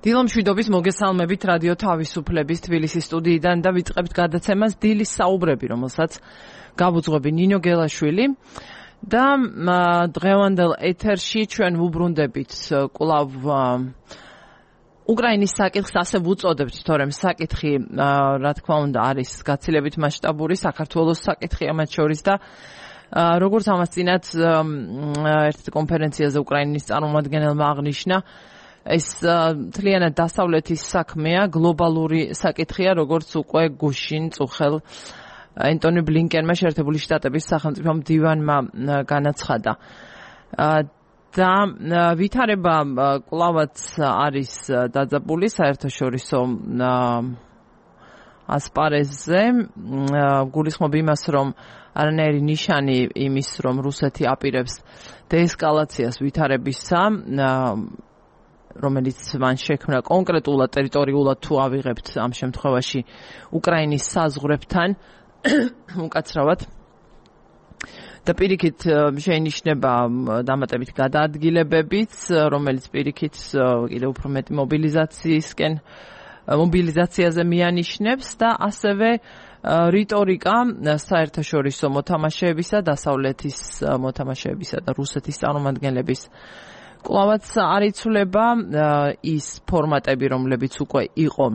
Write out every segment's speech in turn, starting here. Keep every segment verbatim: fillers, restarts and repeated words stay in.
დილომშვიდობის მოგესალმებით რადიო თავისუფლების თბილისის სტუდიიდან და ვიწყებთ გადაცემას დილის საუბრები, რომელსაც გავუძღვები ნინო გელაშვილი და დღევანდელ ეთერში ჩვენ ვუბრუნდებით კვლავ უკრაინის საკითხს ასე ვუწოდებთ, თორემ საკითხი რა თქმა უნდა არის გაცილებით მასშტაბური საქართველოს საკითხია მათ შორის და როგორც ამას წინათ ერთ კონფერენციაზე უკრაინის წარმომადგენელმა აღნიშნა, ეს თლიანად დასავლეთის საქმეა, გლობალური საკითხია, როგორც უკვე გუშინ წუხელ ენტონი ბლინკენმა შეერთებული შტატების სახელმწიფო მდივანმა განაცხადა. და ვითარება კვლავაც არის დაძაბული საერთაშორისო ასპარეზზე, გულისხმობ იმას, რომ არანაირი ნიშანი იმის, რომ რუსეთი აპირებს დეესკალაციას ვითარებისა, რომელიც მან შექმნა კონკრეტულად ტერიტორიულად თუ ავიღებთ ამ შემთხვევაში უკრაინის საზღვრებთან უკაცრავად და პირიქით შეინიშნება დამატებით გადაადგილებებიც, რომელიც პირიქით კიდევ უფრო მეტი მობილიზაციისკენ მობილიზაციაზე მიანიშნებს და ასევე რიტორიკა საერთაშორისო მოთამაშეებისა, დასავლეთის მოთამაშეებისა და რუსეთის წარმომადგენლების კვლავაც არ იცვლება ის ფორმატები, რომლებიც უკვე იყო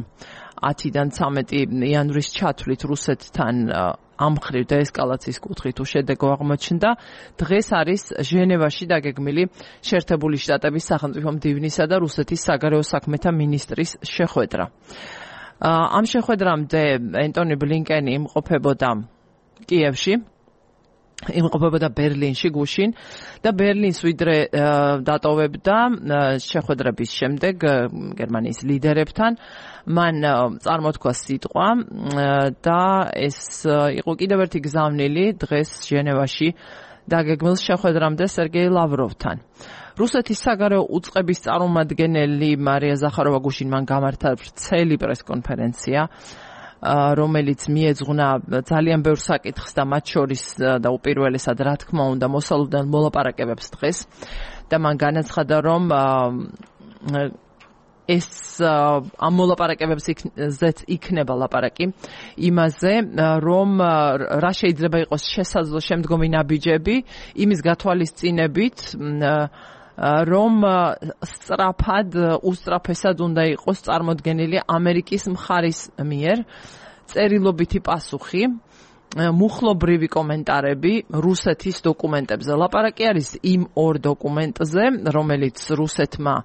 ათიდან ცამეტი იანვრის ჩათვლით რუსეთთან ამ მხრივ დეესკალაციის კუთხით უშედეგო აღმოჩნდა. დღეს არის ჟენევაში დაგეგმილი შეერთებული შტატების სახელმწიფო მდივნისა და რუსეთის საგარეო საქმეთა მინისტრის შეხვედრა. ამ შეხვედრამდე ენტონი ბლინკენი იმყოფებოდა კიევში, იმყოფებოდა ბერლინში გუშინ და ბერლინს ვიდრე დატოვებდა შეხვედრების შემდეგ გერმანიის ლიდერებთან, მან წარმოთქვა სიტყვა და ეს იყო კიდევ ერთი გზავნილი დღეს ჟენევაში დაგეგმილ შეხვედრამდე სერგეი ლავროვთან. რუსეთის საგარეო უწყების წარმომადგენელი მარია ზახაროვა გუშინ მან გამართა ვრცელი პრესკონფერენცია, რომელიც მიეძღვნა ძალიან ბევრ საკითხს და მათ შორის და უპირველესად რა თქმა უნდა მოსალოდნელ მოლაპარაკებებს დღეს და მან განაცხადა, რომ ეს ამ მოლაპარაკებებზეც იქნება ლაპარაკი იმაზე, რომ რა შეიძლება იყოს შესაძლო შემდგომი ნაბიჯები იმის გათვალისწინებით, რომ სწრაფად, უსწრაფესად უნდა იყოს წარმოდგენილი ამერიკის მხარის მიერ წერილობითი პასუხი, მუხლობრივი კომენტარები რუსეთის დოკუმენტებზე. ლაპარაკი არის იმ ორ დოკუმენტზე, რომელიც რუსეთმა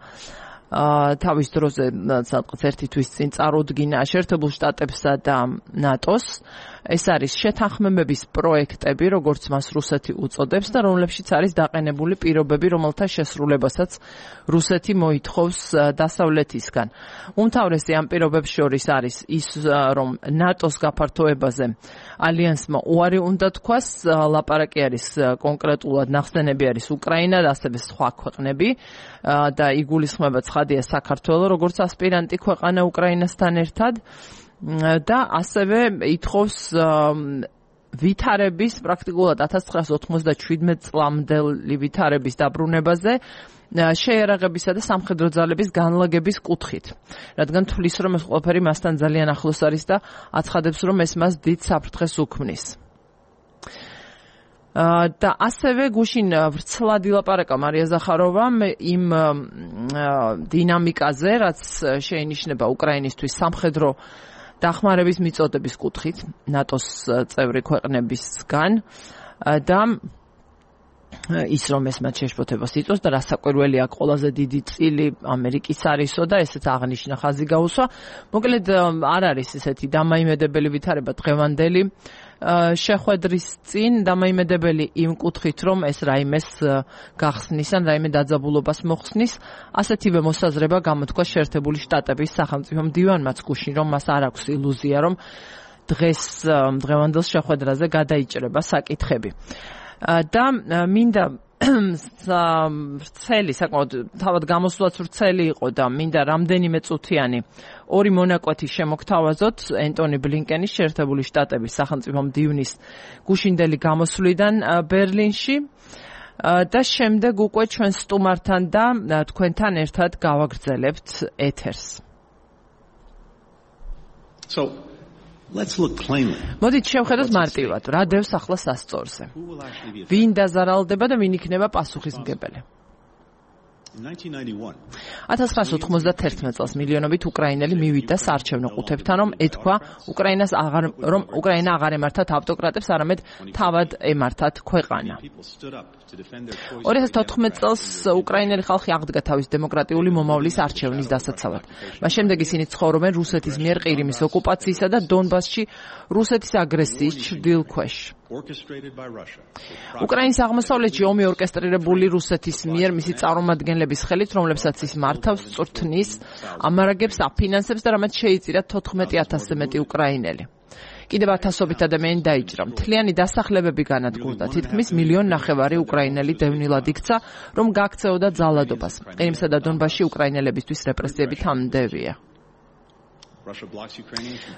თავის დროზე სადღაც ერთი თვის წინ წარუდგინა შეერთებულ შტატებსა და ნატოს. ეს არის შეთანხმებების პროექტები, როგორც მას რუსეთი უწოდებს და რომლებშიც არის დაყენებული პირობები, რომელთა შესრულებასაც რუსეთი მოითხოვს დასავლეთისგან. უმთავრესი ამ პირობებს შორის არის ის, რომ ნატოს გაფართოებაზე ალიანსმა უარი უნდა თქვას, ლაპარაკი არის კონკრეტულად ნახსენები არის უკრაინა და ასევე სხვა ქვეყნები და იგულისხმება ცხადია საქართველო, როგორც ასპირანტი ქვეყანა უკრაინასთან ერთად. და ასევე ითხოვს ვითარების პრაქტიკულად ათას ცხრაასი ოთხმოცდაშვიდმეტ წლამდელი ვითარების დაბრუნებაზე შეიარაღებისა და სამხედრო ძალების განლაგების კუთხით, რადგან თვლის, რომ ეს ყველაფერი მასთან ძალიან ახლოს არის და აცხადებს, რომ ეს მას დიდ საფრთხეს უქმნის. და ასევე გუშინ ვრცლად ილაპარაკა მარია ზახაროვამ იმ დინამიკაზე, რაც შეინიშნება უკრაინისთვის სამხედრო დახმარების მიწოდების კუთხით ნატოს წევრი ქვეყნებისგან და ის რომ ეს მათ შეშფოთებას იწვევს და რასაკვირველია აქ ყველაზე დიდი წილი ამერიკის არისო და ესეც აღნიშნა ხაზი გაუსვა. მოკლედ არ არის ესეთი დამაიმედებელი ვითარება დღევანდელი შეხვედრის წინ, დამაიმედებელი იმ კუთხით, რომ ეს რაიმეს გახსნის ან რაიმე დაძაბულობას მოხსნის. ასეთივე მოსაზრება გამოთქვა შეერთებული შტატების სახელმწიფო მდივანმაც გუშინ, რომ მას არ აქვს ილუზია, რომ დღეს დღევანდელ შეხვედრაზე გადაიჭრება საკითხები. და მინდა ვრცელი, საკმაოდ თავად გამოსვლაც ვრცელი იყო და მინდა რამდენიმე წუთიანი ორი მონაკვეთი შემოგთავაზოთ ენტონი ბლინკენის შეერთებული შტატების სახელმწიფო მდივნის გუშინდელი გამოსვლიდან ბერლინში და შემდეგ უკვე ჩვენ სტუმართან და თქვენთან ერთად გავაგრძელებთ ეთერს. So let's look plainly. მოდით შევხედოთ მარტივად, რა დევს ახლა სასწორზე. ვინ დაზარალდება და ვინ იქნება პასუხისმგებელი? ათას ცხრაასი ოთხმოცდაათი წელს მილიონობით უკრაინელი მივიდა საარჩევნო ყუთებთან, რომ ეთქვა უკრაინას აღარ რომ უკრაინა აღარ ემართათ ავტოკრატებს, არამედ თავად ემართათ ქვეყანა. ორი ათას თოთხმეტ წელს უკრაინელი ხალხი აღდგა თავის დემოკრატიული მომავლის არჩევნის დასაცავად. მას შემდეგ ისინი ცხოვრობენ რუსეთის მიერ ყირიმის ოკუპაციისა და დონბასში რუსეთის აგრესიის ჩრდილქვეშ. უკრაინის აღმოსავლეთში ომი ორკესტრირებული რუსეთის მიერ მისი წარმომადგენლების ხელით, რომლებსაც ის მართავს, წვრთნის, ამარაგებს, აფინანსებს და რამაც შეიწირა თოთხმეტი ათასზე მეტი უკრაინელი. კიდევ ათასობით ადამიანი დაიჭრა. მთლიანი დასახლებები განადგურდა. თითქმის მილიონ ნახევარი უკრაინელი დევნილად იქცა, რომ გაქცეოდა ძალადობას. ყირიმსა და დონბასში უკრაინელებისთვის რეპრესიები თამდევია.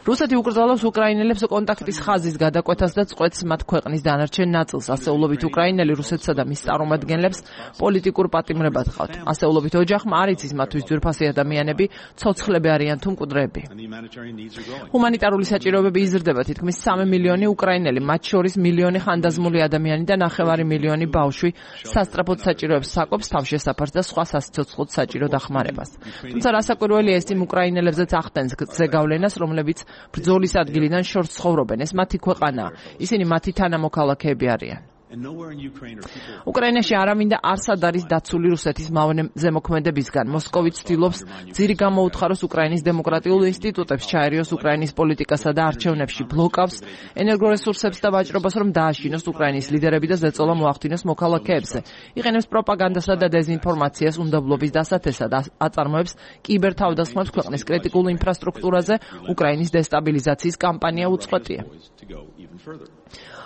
რუსეთი უკრძალავს უკრაინელებს კონტაქტის ხაზის გადაკვეთას და წყვეტს მათ ქვეყნის დანარჩენ ნაწილს. ასეულობით უკრაინელი რუსეთსა და მის წარმომადგენლებს პოლიტიკურ პატიმრებად ყავთ. ასეულობით ოჯახმა არ იცის მათთვის ძვირფასი ადამიანები, ცოცხლები არიან თუ მკვდრები. ჰუმანიტარული საჭიროებები იზრდება. თითქმის სამი მილიონი უკრაინელი, მათ შორის მილიონი ხანდაზმული ადამიანი და ნახევარი მილიონი ბავშვი სასწრაფოდ საჭიროებს საკვებს, თავშესაფარს და სხვა სასიცოცხლო საჭირო დახმარებას. თუმცა რასაკვირველია, ეს იმ უკრაინელებზეც ახდენს ზეგავლენას, რომლებიც ბრძოლის ადგილიდან შორს ცხოვრობენ. ეს მათი ქვეყანაა. ისინი მათი თანამოქალაქეები არიან. უკრაინაში არავინ და არსად არის დაცული რუსეთის ზემოქმედებისგან. მოსკოვი ცდილობს ძირი გამოუთხაროს უკრაინის დემოკრატიულ ინსტიტუტებს, ჩაერიოს უკრაინის პოლიტიკასა და არჩევნებში, ბლოკავს ენერგორესურსებს და ვაჭრობას, რომ დააშინოს უკრაინის ლიდერები და ზეწოლა მოახდინოს მოქალაქეებზე. იყენებს პროპაგანდასა და დეზინფორმაციას უნდობლობის დასათესად, აწარმოებს კიბერთავდასხმებს ქვეყნის კრიტიკულ ინფრასტრუქტურაზე. უკრაინის დესტაბილიზაციის კამპანია უწყვეტია.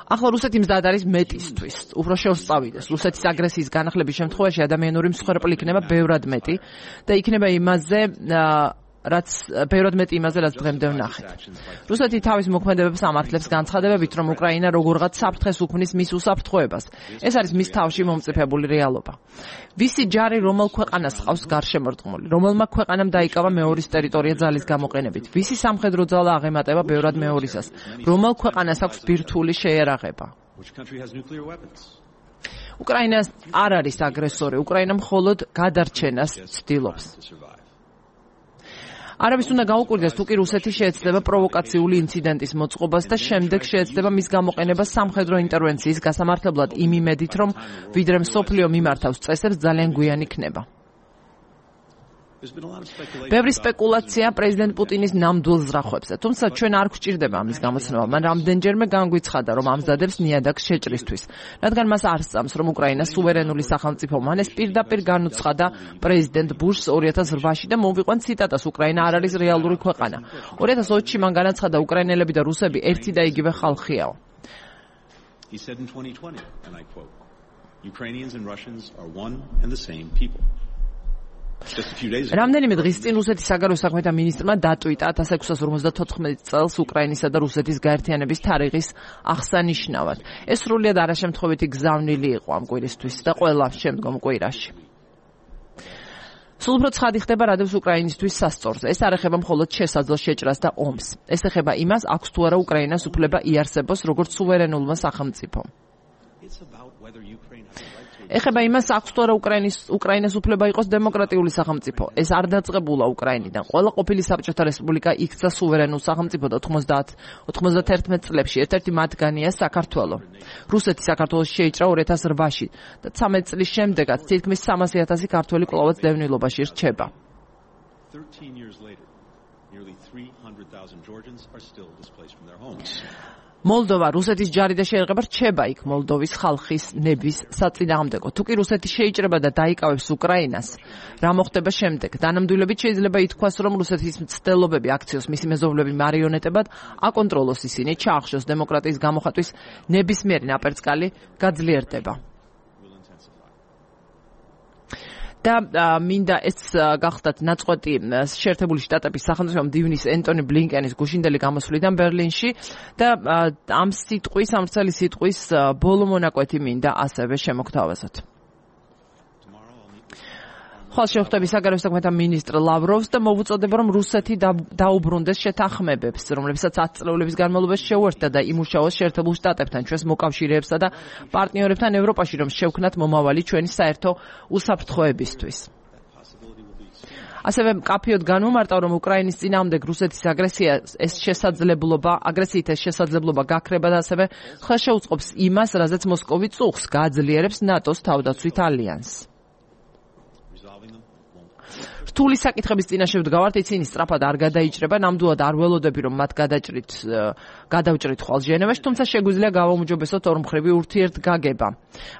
ახლა რუსეთი მზად არის მეტისთვის, უფრო შეუსწავიდეს. რუსეთის აგრესიის განახლების შემთხვევაში ადამიანური მსხვერპლი იქნება ბევრად მეტი და იქნება იმაზე, რაც ბევრად მეტი იმაზე, რაც დღემდე ვნახეთ. რუსეთი თავის მოქმედებებს ამართლებს განცხადებებით, რომ უკრაინა როგორღაც საფრთხეს უქმნის მის უსაფრთხოებას. ეს არის მის თავში მომწიფებული რეალობა. ვისი ჯარი რომელ ქვეყანას ჰყავს გარშემორტყმული? რომელმა ქვეყანამ დაიკავა მეორის ტერიტორია ძალის გამოყენებით? ვისი სამხედრო ძალა აღემატება ბევრად მეორისას? რომელ ქვეყანას აქვს ბირთვული შეიარაღება? უკრაინა არ არის აგრესორი, უკრაინა მხოლოდ გადარჩენას ცდილობს. არავის უნდა გაუკვირდეს, თუ კი რუსეთი შეეცდება პროვოკაციული ინციდენტის მოწყობას და შემდეგ შეეცდება მის გამოყენებას სამხედრო ინტერვენციის გასამართლებლად იმ იმედით, რომ ვიდრე მსოფლიო მიმართავს წესებს ძალიან გვიან იქნება. ბევრი სპეკულაცია პრეზიდენტ პუტინის ნამდვილ ზრახვებზე, თუმცა ჩვენ არ გვჭირდება ამის გამოცნობა. მან რამდენჯერმე განგვიცხადა, რომ ამზადებს ნიადაგს შეჭრისთვის, რადგან მას არ სწამს, რომ უკრაინა სუვერენული სახელმწიფო. მან ეს პირდაპირ განუცხადა პრეზიდენტ ბუშს ორი ათას რვაში და მოვიყვან ციტატას: უკრაინა არ არის რეალური ქვეყანა. ორი ათას ოცში მან განაცხადა, უკრაინელები და რუსები ერთი და იგივე ხალხიაო. He said in twenty twenty, and I quote, Ukrainians and Russians are one and the same people. რამდენიმე დღის წინ რუსეთის საგარეო საქმეთა მინისტრმა დატვიტა ათას ექვსას ორმოცდათოთხმეტ წელს უკრაინისა და რუსეთის გაერთიანების თარიღის აღსანიშნავად. ეს სრულიად არაშემთხვევითი გზავნილი იყო ამ კვირისთვის და ყველა შემდგომ კვირაში. სულ უფრო ცხადი ხდება, რა დევს უკრაინისთვის სასწორზე. ეს არ ეხება მხოლოდ შესაძლო შეჭრას და ომს. ეს ეხება იმას, აქვს თუ არა უკრაინას უფლება იარსებოს როგორც სუვერენულმა სახელმწიფომ. ეხება იმას, აქვს თუ არა უკრაინის უკრაინას უფლება იყოს დემოკრატიული სახელმწიფო. ეს არ დაწყებულა უკრაინიდან. ყველა ყოფილი საბჭოთა რესპუბლიკა იქცა სუვერენულ სახელმწიფოდ ოთხმოცდაათი წლებში. ერთ-ერთი მათგანია საქართველო. რუსეთი საქართველოს შეიჭრა ორი ათას რვაში და ცამეტ წლის შემდეგაც თითქმის სამასი ათასი ქართველი კვლავაც დევნილობაში რჩება. მოლდოვა რუსეთის ჯარი და შეერღება რჩება იქ მოლდოვის ხალხის ნების საწინააღმდეგო. თუ კი რუსეთი შეიჭრება და დაიკავებს უკრაინას, რა მოხდება შემდეგ? დანამდვილებით შეიძლება ითქვას, რომ რუსეთის მცდელობები აქციოს მისი მეზობლები მარიონეტებად აკონტროლოს ისინი, ჩაახშოს დემოკრატიის გამოხატვის ნებისმიერი ნაპერწკალი გაძლიერდება. და მინდა ეს გახდათ ნაწყვეტი შეერთებული შტატების სახელმწიფო მდივნის ენტონი ბლინკენის გუშინდელი გამოსვლიდან ბერლინში და ამ სიტყვის, ამ ვრცელი სიტყვის ბოლო მონაკვეთი მინდა ასევე შემოგთავაზოთ. ხვალ შეხვდები საგარეო საქმეთა მინისტრ ლავროვს და მოვუწოდება, რომ რუსეთი დაუბრუნდეს შეთანხმებებს, რომლებსაც ათი წლების განმავლობაში შეუერთდა და იმუშაოს შეერთებულ შტატებთან, ჩვენს მოკავშირეებსა და პარტნიორებთან ევროპაში, რომ შევქმნათ მომავალი ჩვენი საერთო უსაფრთხოებისთვის. ასევე მკაფიოდ განმარტავ, რომ უკრაინის წინააღმდეგ რუსეთის აგრესია ეს შესაძლებლობა, აგრესიით ეს შესაძლებლობა გაქრება და ასევე ხელშეუწყობს იმას, რაზეც მოსკოვი წუხს გააძლიერებს ნატოს თავდაცვით ალიანსს. რთული საკითხების წინაშე ვდგავართ, ისინი სწრაფად არ გადაიჭრება, ნამდვილად არ ველოდები, რომ მათ გადაჭრით, გადავჭრით ხვალ ჟენევაში, თუმცა შეგვიძლია გავაუმჯობესოთ ორმხრივი ურთიერთგაგება.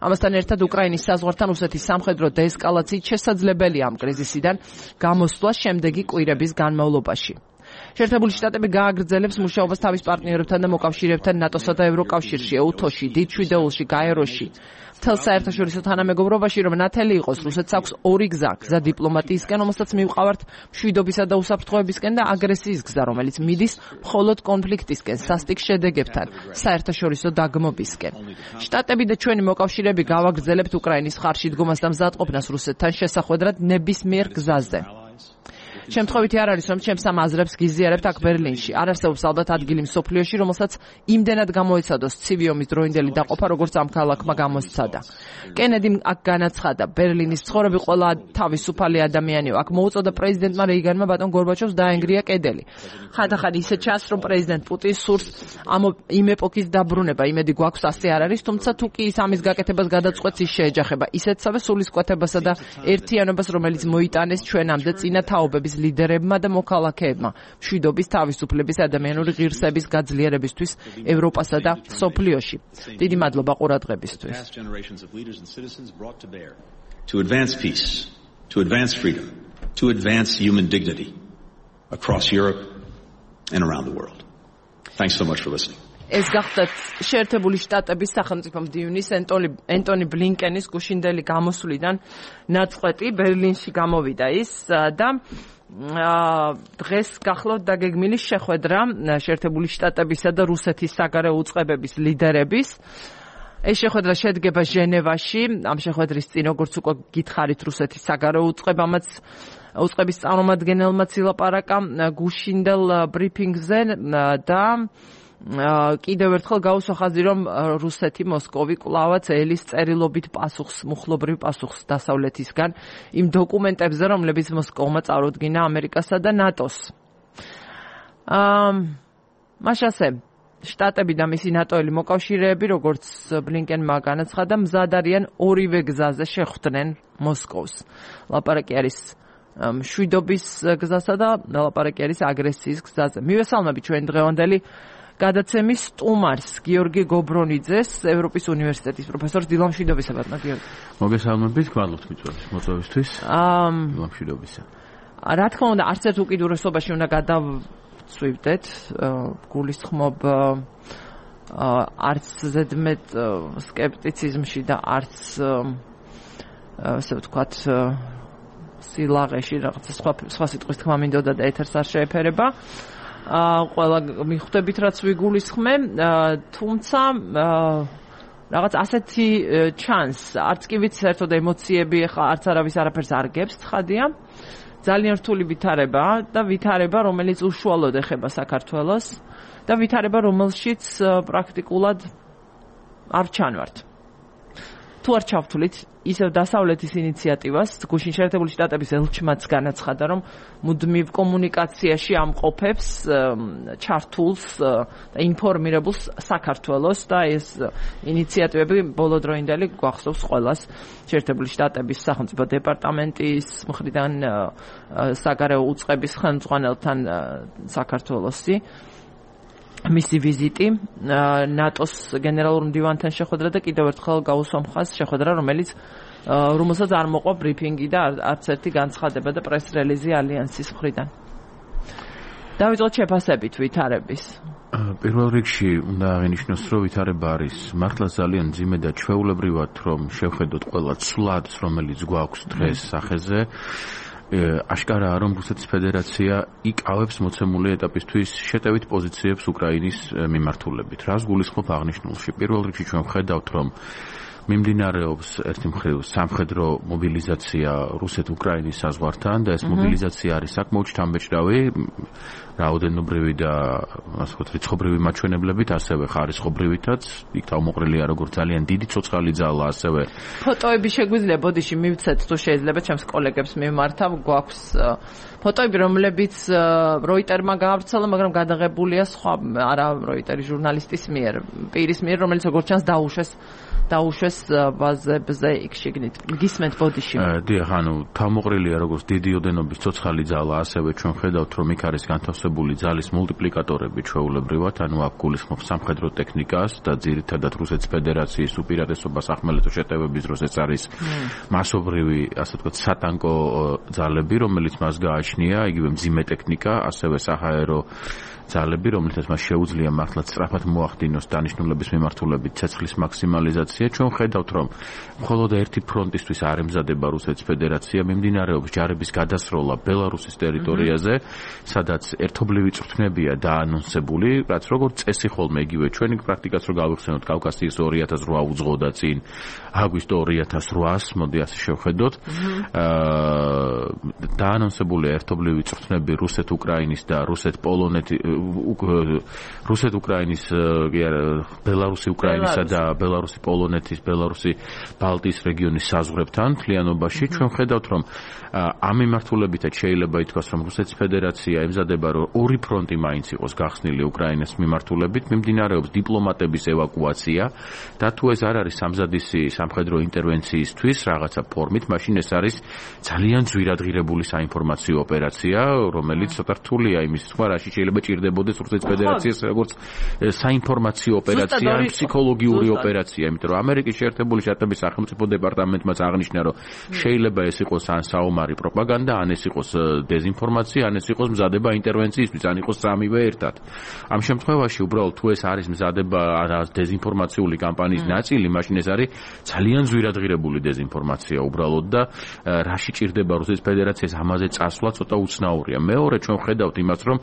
ამასთან ერთად უკრაინის საზღვართან რუსეთის სამხედრო დეესკალაციით შესაძლებელია ამ კრიზისიდან გამოსვლა შემდეგი კვირების განმავლობაში. შეერთებული შტატები გააგრძელებს მუშაობას თავის პარტნიორებთან და მოკავშირეებთან ნატოსა და ევროკავშირში, ევუთოში, დიდ შვიდეულში, გაეროში. მთელ საერთაშორისო თანამეგობრობაში, რომ ნათელი იყოს, რუსეთს აქვს ორი გზა, გზა დიპლომატიისკენ, რომელსაც მივყავართ მშვიდობისა და უსაფრთხოებისკენ და აგრესიის გზა, რომელიც მიდის მხოლოდ კონფლიქტისკენ, სასტიკ შედეგებთან, საერთაშორისო დაგმობისკენ. შტატები და ჩვენი მოკავშირეები გავაგრძელებთ უკრაინის ხარში დგომას და მზადყოფნას რუსეთთან შესახვედრად ნებისმიერ გზაზე. შემთხვევითი არ არის, რომ ჩემს ამ აზრებს გიზიარებთ აქ ბერლინში. არ არსებობს ალბათ ადგილი მსოფლიოში, რომელსაც იმდენად გამოეცადოს ცივი ომის დროინდელი დაყოფა, როგორც ამ ქალაქმა გამოსცადა. კენედი აქ განაცხადა, ბერლინის მცხოვრები ყველა თავისუფალი ადამიანია. აქ მოუწოდა პრეზიდენტმა რეიგანმა ბატონ გორბაჩოვს დაენგრია კედელი. ხანდახან ისე ჩანს, რომ პრეზიდენტ პუტინს სურს ამ იმ ეპოქის დაბრუნება. იმედი გვაქვს ასე არ არის, თუმცა თუ კი ის ამის გაკეთებას გადაწყვეტს, ის შეეჯახება ისეთსავე სულისკვეთებასა და ერთიანობას, რომელიც მოიტანეს ჩვენამდე წინა თაობების ლიდერებმა და მოქალაქეებმა მშვიდობის, თავისუფლების, ადამიანური ღირსების გაძლიერებისთვის ევროპასა და სოფლიოში. დიდი მადლობა ყურადღებისთვის. To advance peace, to advance freedom, to advance human dignity across Europe and around the world. Thanks so much for listening. ეს გახდათ შეერთებული შტატების სახელმწიფო მდივნის ენტონი ბლინკენის გუშინდელი გამოსვლიდან ნაწყვეტი ბერლინში გამოვიდა ის და დღეს გახლავთ დაგეგმილი შეხვედრა შეერთებული შტატებისა და რუსეთის საგარეო უწყებების ლიდერების. ეს შეხვედრა შედგება ჟენევაში. ამ შეხვედრის წინ, როგორც უკვე გითხარით, რუსეთის საგარეო უწყებამაც უწყების წარმომადგენელმაც ილაპარაკა გუშინდელ ბრიფინგზე და კიდევ ერთხელ გაუსვა ხაზი, რომ რუსეთი მოსკოვი კვლავაც ელის წერილობით პასუხს, მუხლობრივ პასუხს დასავლეთისგან იმ დოკუმენტებზე, რომლებიც მოსკოვმა წარუდგინა ამერიკასა და ნატოს. მას ასე შტატები და მისი ნატოელი მოკავშირეები, როგორც ბლინკენმა განაცხადა, მზად არიან ორივე გზაზე შეხვდნენ მოსკოვს. ლაპარაკი არის მშვიდობის გზასა და ლაპარაკი არის აგრესიის გზაზე. მივესალმები ჩვენ დღევანდელი გადაცემის სტუმარს, გიორგი გობრონიძეს, ევროპის უნივერსიტეტის პროფესორს. დილა მშვიდობისა, ბატონო გიორგი. მოგესალმებით, გვალობთ მიწვევის მოწვევისთვის. დილა მშვიდობისა. რა თქმა უნდა, არც ერთ უკიდურესობაში უნდა გადავწვივდეთ, გულისხმობ არც ზედმეტ სკეპტიციზმში და არც ასე ვთქვათ სილაღეში რაღაცა სხვა სხვა სიტყვის თქმა მინდოდა და ეთერს არ შეეფერება. ყველა მიხვდებით, რაც ვიგულისხმე, თუმცა რაღაც ასეთი ჩანს, არც კი ვიცი საერთოდ ემოციები, ხა არც არავის არაფერს არ გებს, ცხადია. ძალიან რთული ვითარება და ვითარება, რომელიც უშუალოდ ეხება საქართველოს და ვითარება, რომელშიც პრაქტიკულად არ ჩანვართ. თუ არ ჩავთვლით ისევ დასავლეთის ინიციატივას, გუშინ შეერთებული შტატების ელჩმაც განაცხადა, რომ მუდმივ კომუნიკაციაში ამყოფებს ჩართულს და ინფორმირებულს საქართველოს და ეს ინიციატივები ბოლოდროინდელი გვახსოვს ყველას შეერთებული შტატების სახელმწიფო დეპარტამენტის მხრიდან საგარეო უწყების ხელმძღვანელთან საქართველოსი. მისი ვიზიტი, ნატოს გენერალურ მდივანთან შეხვედრა და კიდევ ერთხელ გაუსვა მხარს შეხვედრა, რომელიც რომელსაც არ მოყვა ბრიფინგი და არც ერთი განცხადება და პრეს რელიზი ალიანსის მხრიდან. დავიწყოთ შეფასებით ვითარების. პირველ რიგში უნდა აღინიშნოს, რომ ვითარება არის მართლა ძალიან მძიმე და ჩვეულებრივად, რომ შევხედოთ ყველა ცვლადს, რომელიც გვაქვს დღეს სახეზე. აშკარაა, რომ რუსეთის ფედერაცია იკავებს მოცემული ეტაპისთვის შეტევით პოზიციებს უკრაინის მიმართულებით. რას გულისხმობ აღნიშნულში? პირველ რიგში ჩვენ ვხედავთ, რომ მიმდინარეობს ერთი მხრივ სამხედრო მობილიზაცია რუსეთ-უკრაინის საზღვართან და ეს მობილიზაცია არის საკმაოდ შთამბეჭდავი, რაოდენობრივი და ასე ვთქვათ, რიცხობრივი მაჩვენებლებით, ასევე ხარისხობრივითაც. იქ თავმოყრილია როგორც ძალიან დიდი ცოცხალი ძალა, ასევე ფოტოები შეგვიძლია ბოდიში მივცეთ თუ შეიძლება ჩემს კოლეგებს მიმართავ, გვაქვს ფოტოები, რომლებიც როიტერმა გაავრცელა, მაგრამ გადაღებულია სხვა არა როიტერის ჟურნალისტის მიერ, პირის მიერ, რომელიც როგორც ჩანს დაუშვეს დაუშვეს ბაზებზე იქ შეგნით. გისმენთ ბოდიში. დიახ, ანუ თავმოყრილია როგორც დიდი ოდენობის ცოცხალი ძალა, ასევე ჩვენ ხედავთ, რომ იქ არის განთავსებული ძალის მულტიპლიკატორები ჩვეულებრივად, ანუ აქ გულისხმობ სამხედრო ტექნიკას და ძირითადად რუსეთის ფედერაციის უპირატესობას ახმელეთო შეტევების დროს ეს არის მასობრივი, ასე ვთქვათ, სატანკო ძალები, რომელიც მას გააჩნია, იგივე მძიმე ტექნიკა, ასევე საჰაერო ძალები, რომელთაც მას შეუძლია მართლა სწრაფად მოახდინოს დანიშნულების მიმართულებით ცეცხლის მაქსიმალიზაცია. ჩვენ ხედავთ, რომ მხოლოდ ერთი ფრონტისთვის არ ემზადება რუსეთის ფედერაცია, მიმდინარეობს ჯარების გადასროლა ბელარუსის ტერიტორიაზე, სადაც ერთობლივი წვრთნებია დაანონსებული, რაც როგორც წესი ხოლმე იგივე ჩვენი პრაქტიკაც რო გავიხსენოთ, კავკასიის ორი ათას რვა უძღოდა წინ აგვისტო ორი ათას რვას, მოდი ასე შევხედოთ. დაანონსებულია ერთობლივი წვრთნები რუსეთ-უკრაინის და რუსეთ-პოლონეთის რუსეთ-უკრაინის, ბელარუსი-უკრაინისა და ბელარუსი-პოლონეთის, ბელარუსი-ბალტიის რეგიონის საზღვრებთან მთლიანობაში. ჩვენ ხედავთ, რომ ამ მიმართულებითაც შეიძლება ითქვას, რომ რუსეთის ფედერაცია ემზადება, რომ ორი ფრონტი მაინც იყოს გახსნილი უკრაინას მიმართულებით, მიმდინარეობს დიპლომატების ევაკუაცია და თუ ეს არ არის სამზადისი სამხედრო ინტერვენციისთვის რაღაცა ფორმით, მაშინ ეს არის ძალიან ძვირადღირებული საინფორმაციო ოპერაცია, რომელიც ცოტა რთულია იმის სხვა, რაში შეიძლება ჭირდებოდეს რუსეთის ფედერაციას როგორც საინფორმაციო ოპერაცია, ფსიქოლოგიური ოპერაცია, იმიტომ რომ ამერიკის შეერთებული შტატების სახელმწიფო დეპარტამენტმაც აღნიშნა, რომ შეიძლება ეს იყოს ან საომარი პროპაგანდა, ან ეს იყოს დეზინფორმაცია, ან ეს იყოს მზადება ინტერვენციისთვის, ან იყოს სამივე ერთად. ამ შემთხვევაში უბრალოდ თუ ეს არის მზადება დეზინფორმაციული კამპანიის ნაწილი, მაშინ ეს არის ძალიან ძვირადღირებული დეზინფორმაცია უბრალოდ და რაში ჭირდება რუსეთის ფედერაციას ამაზე წასვლა ცოტა უცნაურია. მეორე, ჩვენ ხედავთ იმას, რომ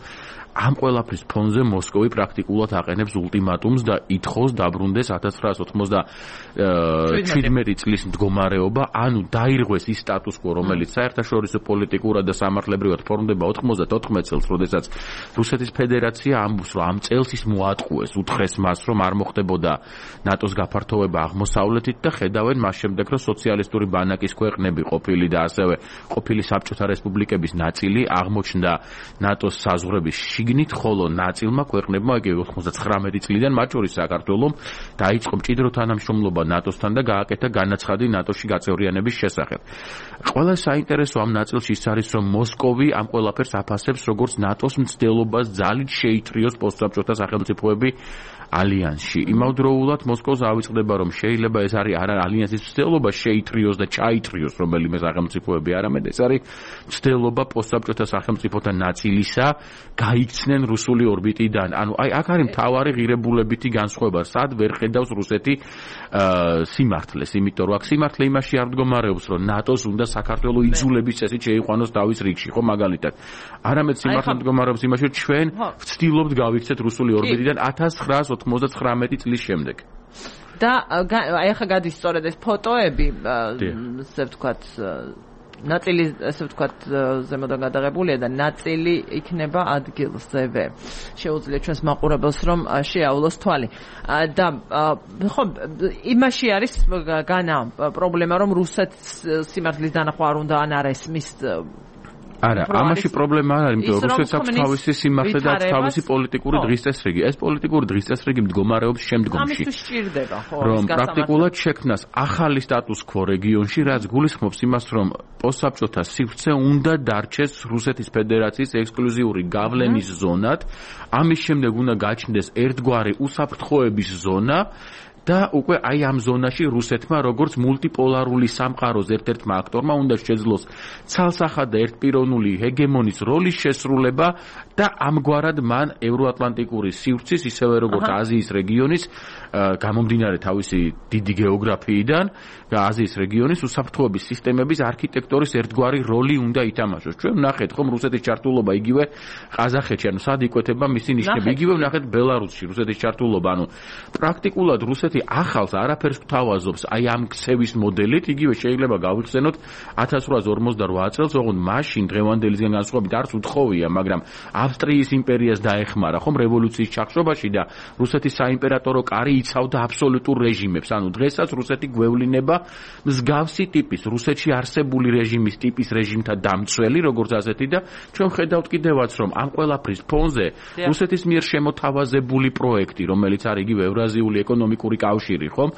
ამ ყველაფრის ფონზე მოსკოვი პრაქტიკულად აყენებს ულტიმატუმს და ითხოვს დაბრუნდეს ათას ცხრაასი ოცდაათი წლის მდგომარეობა, ანუ დაირღვეს ის სტატუს-კვო, რომელიც საერთაშორისო პოლიტიკურად და სამართლებრივად ფორმდება ოცდაოთხ წელს, როდესაც რუსეთის ფედერაცია ამბობს, რომ ამ წელს ის მოატყუეს, უთხრეს მას, რომ არ მოხდებოდა ნატოს გაფართოვება აღმოსავლეთით და ხედავენ მას შემდეგ, რომ სოციალისტური ბანაკის ქვეყნები ყოფილი და ასევე ყოფილი საბჭოთა რესპუბლიკების ნაწილი აღმოჩნდა ნატოს საზღვრების შიგნით, ხოლო ნაწილმა ქვეყნებმა იგივე ოცდათხმეტი წლიდან, მათ შორის საქართველომ, დაიწყო მჭიდრო თანამშრომლობა ნატოსთან და გააკეთა განაცხადი ნატოში გაწევრიანების შესახებ. ყველა საინტერესო ამ ნაწილში ის არის, რომ მოსკოვი ამ ყველაფერს აფასებს როგორც ნატოს მცდელობას ძალით შეითრიოს პოსტსაბჭოთა სახელმწიფოები ალიანსში. იმავდროულად მოსკოვს ავიწყდება, რომ შეიძლება ეს არის არა ალიანსის მცდელობა შეითრიოს და ჩაითრიოს რომელიმე სახელმწიფოები, არამედ ეს არის მცდელობა პოსტსაბჭოთა სახელმწიფოთა ნაწილისა გაიქცნენ რუსული ორბიტიდან. ანუ აი აქ არის მთავარი ღირებულებითი განსხვავება, სად ვერ ხედავს რუსეთი სიმართლეს, იმიტომ რომ აქ სიმართლე იმაში არ მდგომარეობს, რომ ნატოს უნდა საქართველო იძულების წესით შეიყვანოს თავის რიგში, ხო მაგალითად. არამედ სიმართლე მდგომარეობს იმაში, რომ ჩვენ ვცდილობთ გავიქცეთ რუსული ორბიტიდან ათას ცხრაასი ოცდაათი წლის შემდეგ. და აი ახლა გადის სწორედ ეს ფოტოები, ასე ვთქვათ, ნაწილი ასე ვთქვათ ზემოდან გადაღებულია და ნაწილი იქნება ადგილზევე. შეუძლია ჩვენს მაყურებელს რომ შეაავლოს თვალი. და ხო იმაში არის განა პრობლემა, რომ რუსეთს სიმართლის დანახვა არ უნდა ან არ ესმის. არა, ამაში პრობლემა არ არის, იმიტომ რომ რუსეთს აქვს თავისი სიმართლე და თავისი პოლიტიკური დღის წესრიგი. ეს პოლიტიკური დღის წესრიგი მდგომარეობს შემდგომში. ამისთვის სჭირდება, ხო, რომ პრაქტიკულად შექმნას ახალი სტატუს-კვო რეგიონში, რაც გულისხმობს იმას, რომ პოსტსაბჭოთა სივრცე უნდა დარჩეს რუსეთის ფედერაციის ექსკლუზიური გავლენის ზონად. ამის შემდეგ უნდა გაჩნდეს ერთგვარი უსაფრთხოების ზონა და უკვე აი ამ ზონაში რუსეთმა როგორც მულტიპოლარული სამყაროს ერთ-ერთმა აქტორმა უნდა შეძლოს ცალსახად და ერთპიროვნული ჰეგემონის როლის შესრულება და ამგვარად მან ევროატლანტიკური სივრცის ისევე როგორც აზიის რეგიონის გამომდინარე თავისი დიდი გეოგრაფიიდან და აზიის რეგიონის უსაფრთხოების სისტემების არქიტექტორის ერთგვარი როლი უნდა ითამაშოს. ჩვენ ვნახეთ ხომ რუსეთის ჩართულობა იგივე ყაზახეთში, ანუ სად იკვეთება მისი ნიშნები, იგივე ვნახეთ ბელარუსში რუსეთის ჩართულობა, ანუ პრაქტიკულად რუსეთი ახალს არაფერს გვთავაზობს აი ამ ქცევის მოდელით, იგივე შეიძლება გავიხსენოთ ათას რვაასი ორმოცდარვა წელს, ოღონდ მაშინ დღევანდელისგან განსხვავებით არც უთხოვია, მაგრამ ავსტრიის იმპერიას დაეხმარა ხომ რევოლუციის ჩახშობაში და რუსეთის საიმპერატორო კარი იცავდა აბსოლუტურ რეჟიმებს, ანუ დღესაც რუსეთი გვევლინება მსგავსი ტიპის რუსეთში არსებული რეჟიმის ტიპის რეჟიმთა დამცველი, როგორც ასეთი და ჩვენ ხედავთ კიდევაც რომ ამ ყველაფრის ფონზე რუსეთის მიერ შემოთავაზებული პროექტი, რომელიც არის იგივე ევრაზიული ეკონომიკური კავშირი, ხომ?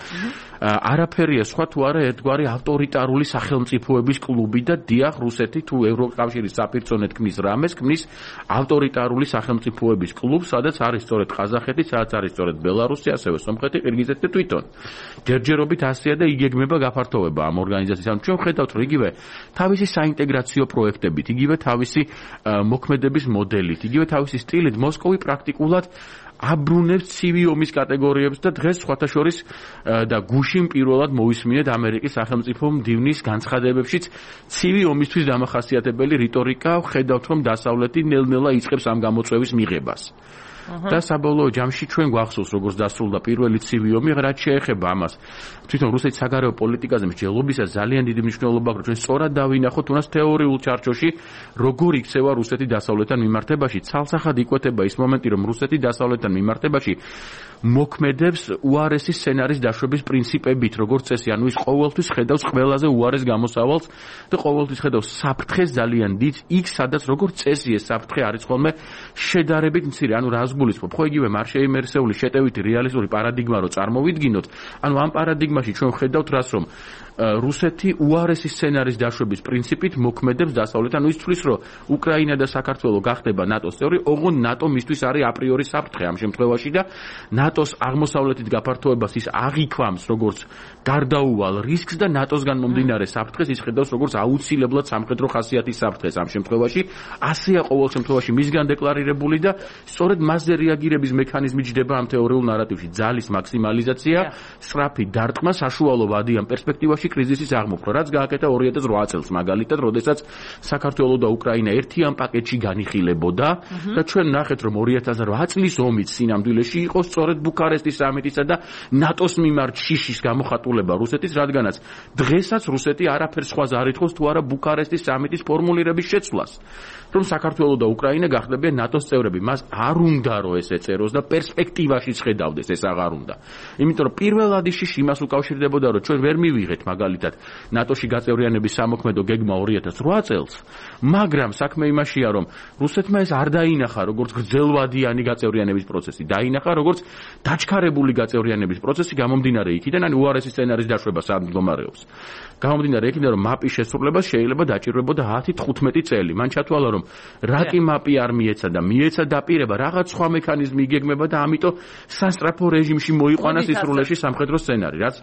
არაფერია სხვა თუ არა ერთგვარი ავტორიტარული სახელმწიფოების კლუბი და დიახ რუსეთი თუ ევროკავშირის საფირწონეთ ქმნის რამეს, ქმნის ავტორიტარული სახელმწიფოების კლუბს, სადაც არის სწორედ ყაზახეთი, სადაც არის სწორედ ბელარუსი, ასევე სომხეთი, ყირგიზეთი და თვითონ. ჯერჯერობით ასეა და იგეგმება გაფართოვება ამ ორგანიზაციის. ანუ ჩვენ ხედავთ რომ იგივე თავისი საინტეგრაციო პროექტებით, იგივე თავისი მოქმედების მოდელით, იგივე თავისი სტილით მოსკოვი პრაქტიკულად აბრუნებს ცივი ომის კატეგორიებს და დღეს სხვათა შორის და გუშინ პირველად მოვისმინეთ ამერიკის სახელმწიფო მდივნის განცხადებებშიც ცივი ომისთვის დამახასიათებელი რიტორიკა, ხედავთ რომ დასავლეთი ნელ-ნელა იწყებს ამ გამოწვევის მიღებას. და საბოლოო ჯამში ჩვენ გვახსოვს როგორც დასრულდა პირველი ცივი ომი, რაც შეეხება ამას. თვითონ რუსეთის საგარეო პოლიტიკაზე მსჯელობისას ძალიან დიდი მნიშვნელობა აქვს, რომ ჩვენ სწორად დავინახოთ თუნდაც თეორიულ ჩარჩოში, როგორ იქცევა რუსეთი დასავლეთთან მიმართებაში. ცალსახად იკვეთება ის მომენტი, რომ რუსეთი დასავლეთთან მიმართებაში მოქმედებს უარესი სცენარის დაშვების პრინციპებით, როგორც წესი, ანუ ის ყოველთვის ხედავს ყველაზე უარეს გამოსავალს და ყოველთვის ხედავს საფრთხეს ძალიან დიდ, იქ სადაც როგორც წესი ეს საფრთხე არის ხოლმე შედარებით მცირე, ანუ რას გულისხმობ, ხო იგივე მარშეი მერსეული შეტევითი რეალისტური პარადიგმა რო წარმოვიდგინოთ, ანუ ამ პარადიგმაში ჩვენ ხედავთ რას რომ რუსეთი უარესი სცენარის დაშვების პრინციპით მოქმედებს დასავლეთთან, ანუ ის თვლის რომ უკრაინა და საქართველო გახდება ნატოს წევრი, ოღონდ ნატო მისთვის არის აპრიორი საფრთხე ამ შემთხვევაში და ნატოს აღმოსავლეთით გაფართოებას ის აღიქვამს როგორც გარდაუვალ რისკს და ნატოსგან მომდინარე საფრთხეს ის ხედავს როგორც აუცილებლად სამხედრო ხასიათის საფრთხეს ამ შემთხვევაში. ასეა ყოველ შემთხვევაში მისგან დეკლარირებული და სწორედ მასზე რეაგირების მექანიზმი ჯდება ამ თეორიულ ნარატივში. ძალის მაქსიმალიზაცია, სწრაფი დარტყმა, საშუალო ვადი ამ პერსპექტივაში კრიზისის აღმოფხვრა, რაც გააკეთა ორი ათას რვა წელს მაგალითად, როდესაც საქართველო და უკრაინა ერთიან პაკეტში განიხილებოდა და ჩვენ ნახეთ რომ ორი ათას რვა წლის ომის სინამდვილეში იყო სწორედ ბუქარესტის სამიტისა და ნატოს მიმართ შიშის გამოხატულება რუსეთის, რადგანაც დღესაც რუსეთი არაფერს სხვას არ ითხოვს თუ არა ბუქარესტის სამიტის ფორმულირების შეცვლას, რომ საქართველო და უკრაინა გახდებიან ნატოს წევრები. მას არ უნდა რომ ეს ეწეროს და პერსპექტივაში ხედავდეს ეს აღარ უნდა. იმიტომ რომ პირველადი შიში იმას უკავშირდებოდა რომ ჩვენ ვერ მივიღეთ მაგალითად ნატოში გაწევრიანების სამოქმედო გეგმა ორი ათას რვა წელს, მაგრამ საქმე იმაშია რომ რუსეთმა ეს არ დაინახა როგორც გრძელვადიანი გაწევრიანების პროცესი, დაინახა როგორც დაჩქარებული გაწევრიანების პროცესი გამომდინარე იქიდან, ანუ უარესი სცენარის დაშვება სად მდგომარეობს. გამომდინარე იქიდან რომ მაპის შესრულება შეიძლება დაჭირვებოდა ათი თხუთმეტი წელი. მან ჩათვალა რომ რაკი მაპი არ მიეცა და მიეცა დაპირება, რაღაც სხვა მექანიზმი იგეგმება და ამიტომ სასტრაფო რეჟიმში მოიყვანა სისრულეში სამხედრო სცენარი, რაც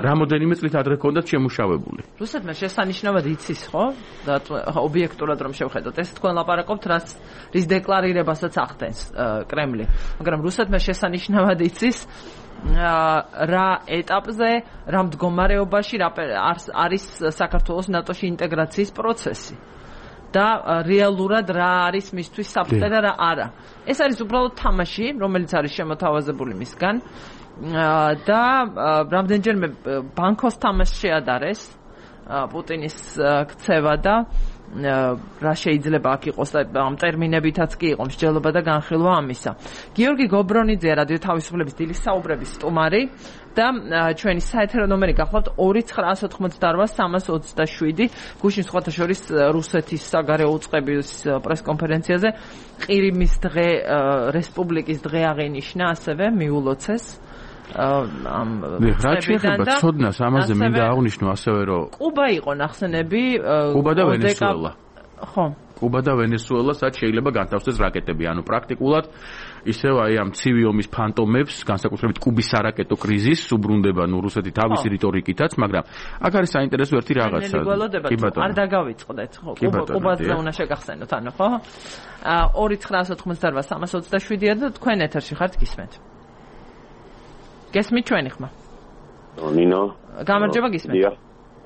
რამოდენიმე წლით ადრე ჰქონდათ შემუშავებული. რუსეთმა შესანიშნავად იცის, ხო? და ობიექტურად რომ შევხედოთ, ეს თქვენ ლაპარაკობთ, რაც რის დეკლარირებასაც ახდენს კრემლი. მაგრამ რუსეთმა შესანიშნავად იცის რა ეტაპზე, რა მდგომარეობაში არის საქართველოს ნატოში ინტეგრაციის პროცესი. და რეალურად რა არის მისთვის საფრთხე და რა არა. ეს არის უბრალოდ თამაში, რომელიც არის შემოთავაზებული მისგან და რამდენჯერმე ბანკოს თამაში შეადარეს პუტინის ქცევა და რა შეიძლება აქ იყოს და ამ ტერმინებითაც კი იყო მსჯელობა და განხილვა ამისა. გიორგი გობრონიძე რადიო თავისუფლების დილის საუბრების სტუმარი და ჩვენი საეთერო ნომერი გახლავთ ორი ცხრაასი ოთხმოცდარვა სამას ოცდაშვიდი. გუშინ სხვათა შორის რუსეთის საგარეო უწყების პრესკონფერენციაზე ყირიმის დღე, რესპუბლიკის დღე აღინიშნა, ასევე მიულოცეს. რა შეიძლება ცოდნას ამაზე მინდა აღვნიშნო ასევე რომ კუბა იყო ნახსენები, კუბა და ვენესუელა. ხო. კუბა და ვენესუელა, სადაც შეიძლება განთავსდეს რაკეტები, ანუ პრაქტიკულად ისევ აი ამ ცივი ომის ფანტომებს, განსაკუთრებით კუბის არაკეტო კრიზისს უბრუნდება ნუ რუსეთი თავისი რიტორიკითაც, მაგრამ აქ არის საინტერესო ერთი რაღაცა. კი ბატონო. არ დაგავიწყდეთ, ხო? კუბაზე უნდა შეგახსენოთ, ანუ ხო? ორი ცხრა ოთხმოცდაოთხ სამას ოცდაშვიდია და თქვენ ეთერში ხართ გისმენთ. გესმით ჩვენი ხმა? ნინო. გამარჯობა გისმენთ. დიახ.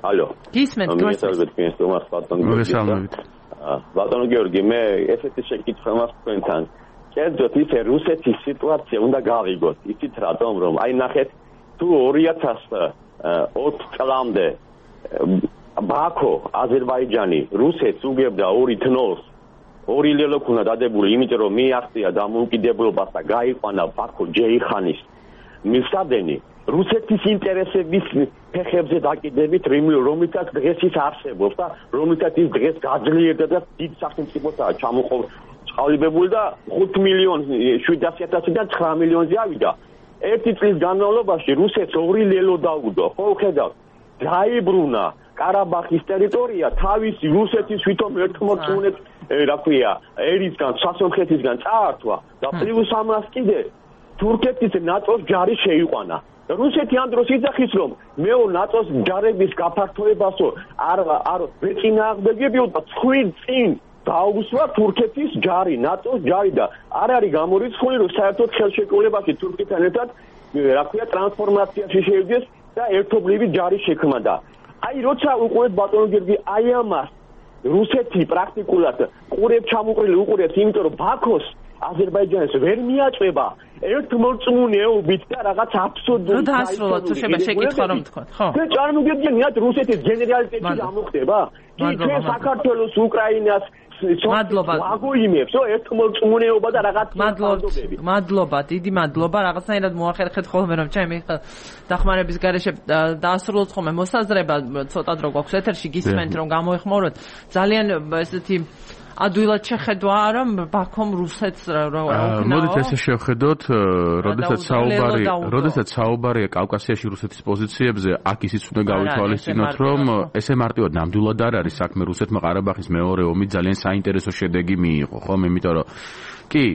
ალო. გისმენთ გესმენთ თქვენს თომას ბატონო. მოგესალმებით. ბატონო გიორგი, მე ესეთი შეკითხვა მაქვს თქვენთან. კერძოდ ისე რუსეთის სიტუაცია უნდა გავიგოთ. იცით რატომ, რომ აი ნახეთ თუ ორი ათას ოთხ წლამდე ბაქო, აზერბაიჯანი რუსეთს უგებდა ორი თნოს, ორი ლელო ქუნა დადებული, იმიტომ რომ მიაღწია დამოუკიდებლობას და გაიყვანა ბაქო ჯეიხანის მისადენი რუსეთის ინტერესების ფეხებზე დაკიდებით, რომელთაც დღეს ის არსებობს და რომელთაც ის დღეს გაძლიერდა და დიდ სახელმწიფოთაა ჩამოყალიბებული და ხუთ მილიონი შვიდასი ათასიდან ცხრა მილიონზე ავიდა. ერთი წლის განმავლობაში რუსეთს ორი ლელო დაუდო, ხო ხედავთ? დაიბრუნა კარაბახის ტერიტორია თავისი რუსეთის ვითომ ერთმორწმუნეთ, რა ქვია, ერისგან, სასონხეთისგან წაართვა და პლუს ამას კიდე თურქეთის ნატოს ჯარი შეიყვანა. რუსეთი ამ დროს იძახის, რომ მეო ნატოს ჯარების გაფართოებასო არ არ ვეწინააღმდეგებიო და თქვენ წინ დაუსვა თურქეთის ჯარი, ნატოს ჯარი და არ არის გამორიცხული, რომ საერთოდ ხელშეკრულებაში თურქეთთან ერთად, რა ქვია, ტრანსფორმაციაში შევიდეს და ერთობლივი ჯარი შექმნა და აი როცა უყურეთ ბატონო გიორგი, აი ამას რუსეთი პრაქტიკულად ყურებს ჩამოყრილი უყურებს, იმიტომ რომ ბაქოს აზერბაიჯანს ვერ მიაწვება ერთმორწმუნეობით და რაღაც აბსურდული დაასრულოთ თუ შეიძლება შეკითხვა რომ თქვა, ხო? და წარმოგიდგენიათ რუსეთის გენერალიტეტი ამოხდება? კი, ჩვენ საქართველოს, უკრაინას მადლობა. აგოიმებს, ერთმორწმუნეობა და რაღაც მადლობა. მადლობა, დიდი მადლობა. რაღაცნაირად მოახერხეთ ხოლმე რომ ჩემი დახმარების გარეშე დაასრულოთ ხოლმე მოსაზრება, ცოტა დრო გვაქვს ეთერში გისმენთ რომ გამოეხმაროთ. ძალიან ესეთი ადვილად შეხედვა რომ ბაქომ რუსეთს რა უკნაო. მოდით ესე შევხედოთ, როდესაც საუბარი, როდესაც საუბარია კავკასიაში რუსეთის პოზიციებზე, აქ ისიც უნდა გავითვალისწინოთ, რომ ესე მარტივად ნამდვილად არ არის საქმე რუსეთმა ყარაბაღის მეორე ომით ძალიან საინტერესო შედეგი მიიღო, ხო? იმიტომ რომ კი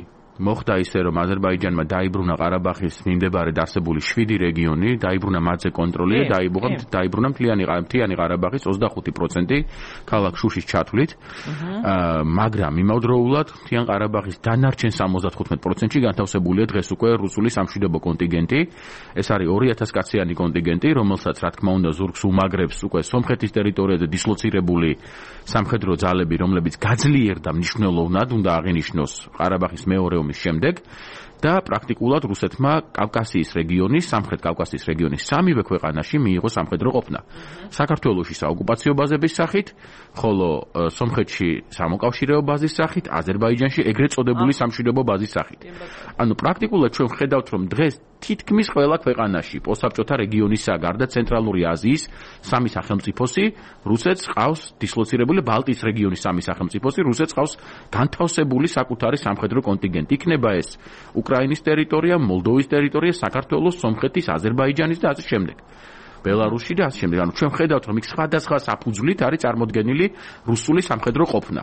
მოხდა ისე, რომ აზერბაიჯანმა დაიბრუნა ყარაბაღის მიმდებარედ არსებული შვიდი რეგიონი, დაიბრუნა მათზე კონტროლი და დაიბრუნა მთლიანი მთლიანი ყარაბაღის ოცდახუთი პროცენტი ქალაქ შუშის ჩათვლით. მაგრამ იმავდროულად მთლიან ყარაბაღის დანარჩენ სამოცდათხუთმეტ პროცენტში განთავსებულია დღეს უკვე რუსული სამშვიდობო კონტინგენტი. ეს არის ორი ათას კაციანი კონტინგენტი, რომელსაც რა თქმა უნდა ზურგს უმაგრებს უკვე სომხეთის ტერიტორიაზე დისლოცირებული სამხედრო ძალები, რომლებიც გაძლიერდა მნიშვნელოვნად, უნდა აღინიშნოს ყარაბაღის მეორე შემდეგ და პრაქტიკულად რუსეთმა კავკასიის რეგიონის, სამხრეთ კავკასიის რეგიონის სამივე ქვეყანაში მიიღო სამხედრო ყოფნა. საქართველოში საოკუპაციო ბაზების სახით, ხოლო სომხეთში სამოკავშირეო ბაზის სახით, აზერბაიჯანში ეგრეთ წოდებული სამშვიდობო ბაზის სახით. ანუ პრაქტიკულად ჩვენ ხედავთ, რომ დღეს თითქმის ყველა ქვეყანაში პოსტსაბჭოთა რეგიონისა გარდა ცენტრალური აზიის სამი სახელმწიფოსი რუსეთს ყავს დისლოცირებული, ბალტიის რეგიონის სამი სახელმწიფოსი რუსეთს ყავს განთავსებული საკუთარი სამხედრო კონტინგენტი. იქნება ეს უკრაინის ტერიტორია, მოლდოვის ტერიტორია, საქართველოს, სომხეთის, აზერბაიჯანის და ასე შემდეგ. ბელარუსში და ასე შემდეგ. ანუ ჩვენ ხედავთ, რომ იქ სხვადასხვა საფუძვლით არის წარმოდგენილი რუსული სამხედრო ყოფნა.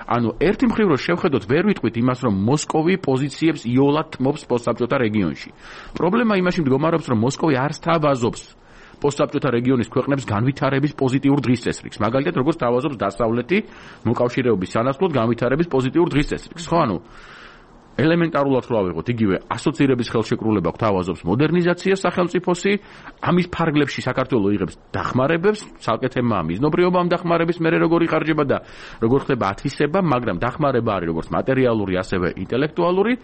ანუ ერთი მხრივ რომ შევხედოთ, ვერ ვიტყვით იმას, რომ მოსკოვი პოზიციებს იოლად თმობს პოსტსაბჭოთა რეგიონში. პრობლემა იმაში მდგომარეობს, რომ მოსკოვი არ სთავაზობს პოსტსაბჭოთა რეგიონის ქვეყნებს განვითარების პოზიტიურ დღის წესრიგს. მაგალითად, როგორც სთავაზობს დასავლეთი მოკავშირეობის სანაცვლოდ განვითარების პოზიტიურ დღის წესრიგს. ხო, ანუ ელემენტარულად რო ავიღოთ, იგივე ასოცირების ხელშეკრულება გვთავაზობს მოდერნიზაციას სახელმწიფოსი, ამის ფარგლებში საქართველოს იღებს დახმარებებს, ცალკე თემაა მიზნობრიობა ამ დახმარების მერე როგორ იხარჯება და როგორ ხდება ათვისება, მაგრამ დახმარება არის როგორც მატერიალური, ასევე ინტელექტუალური.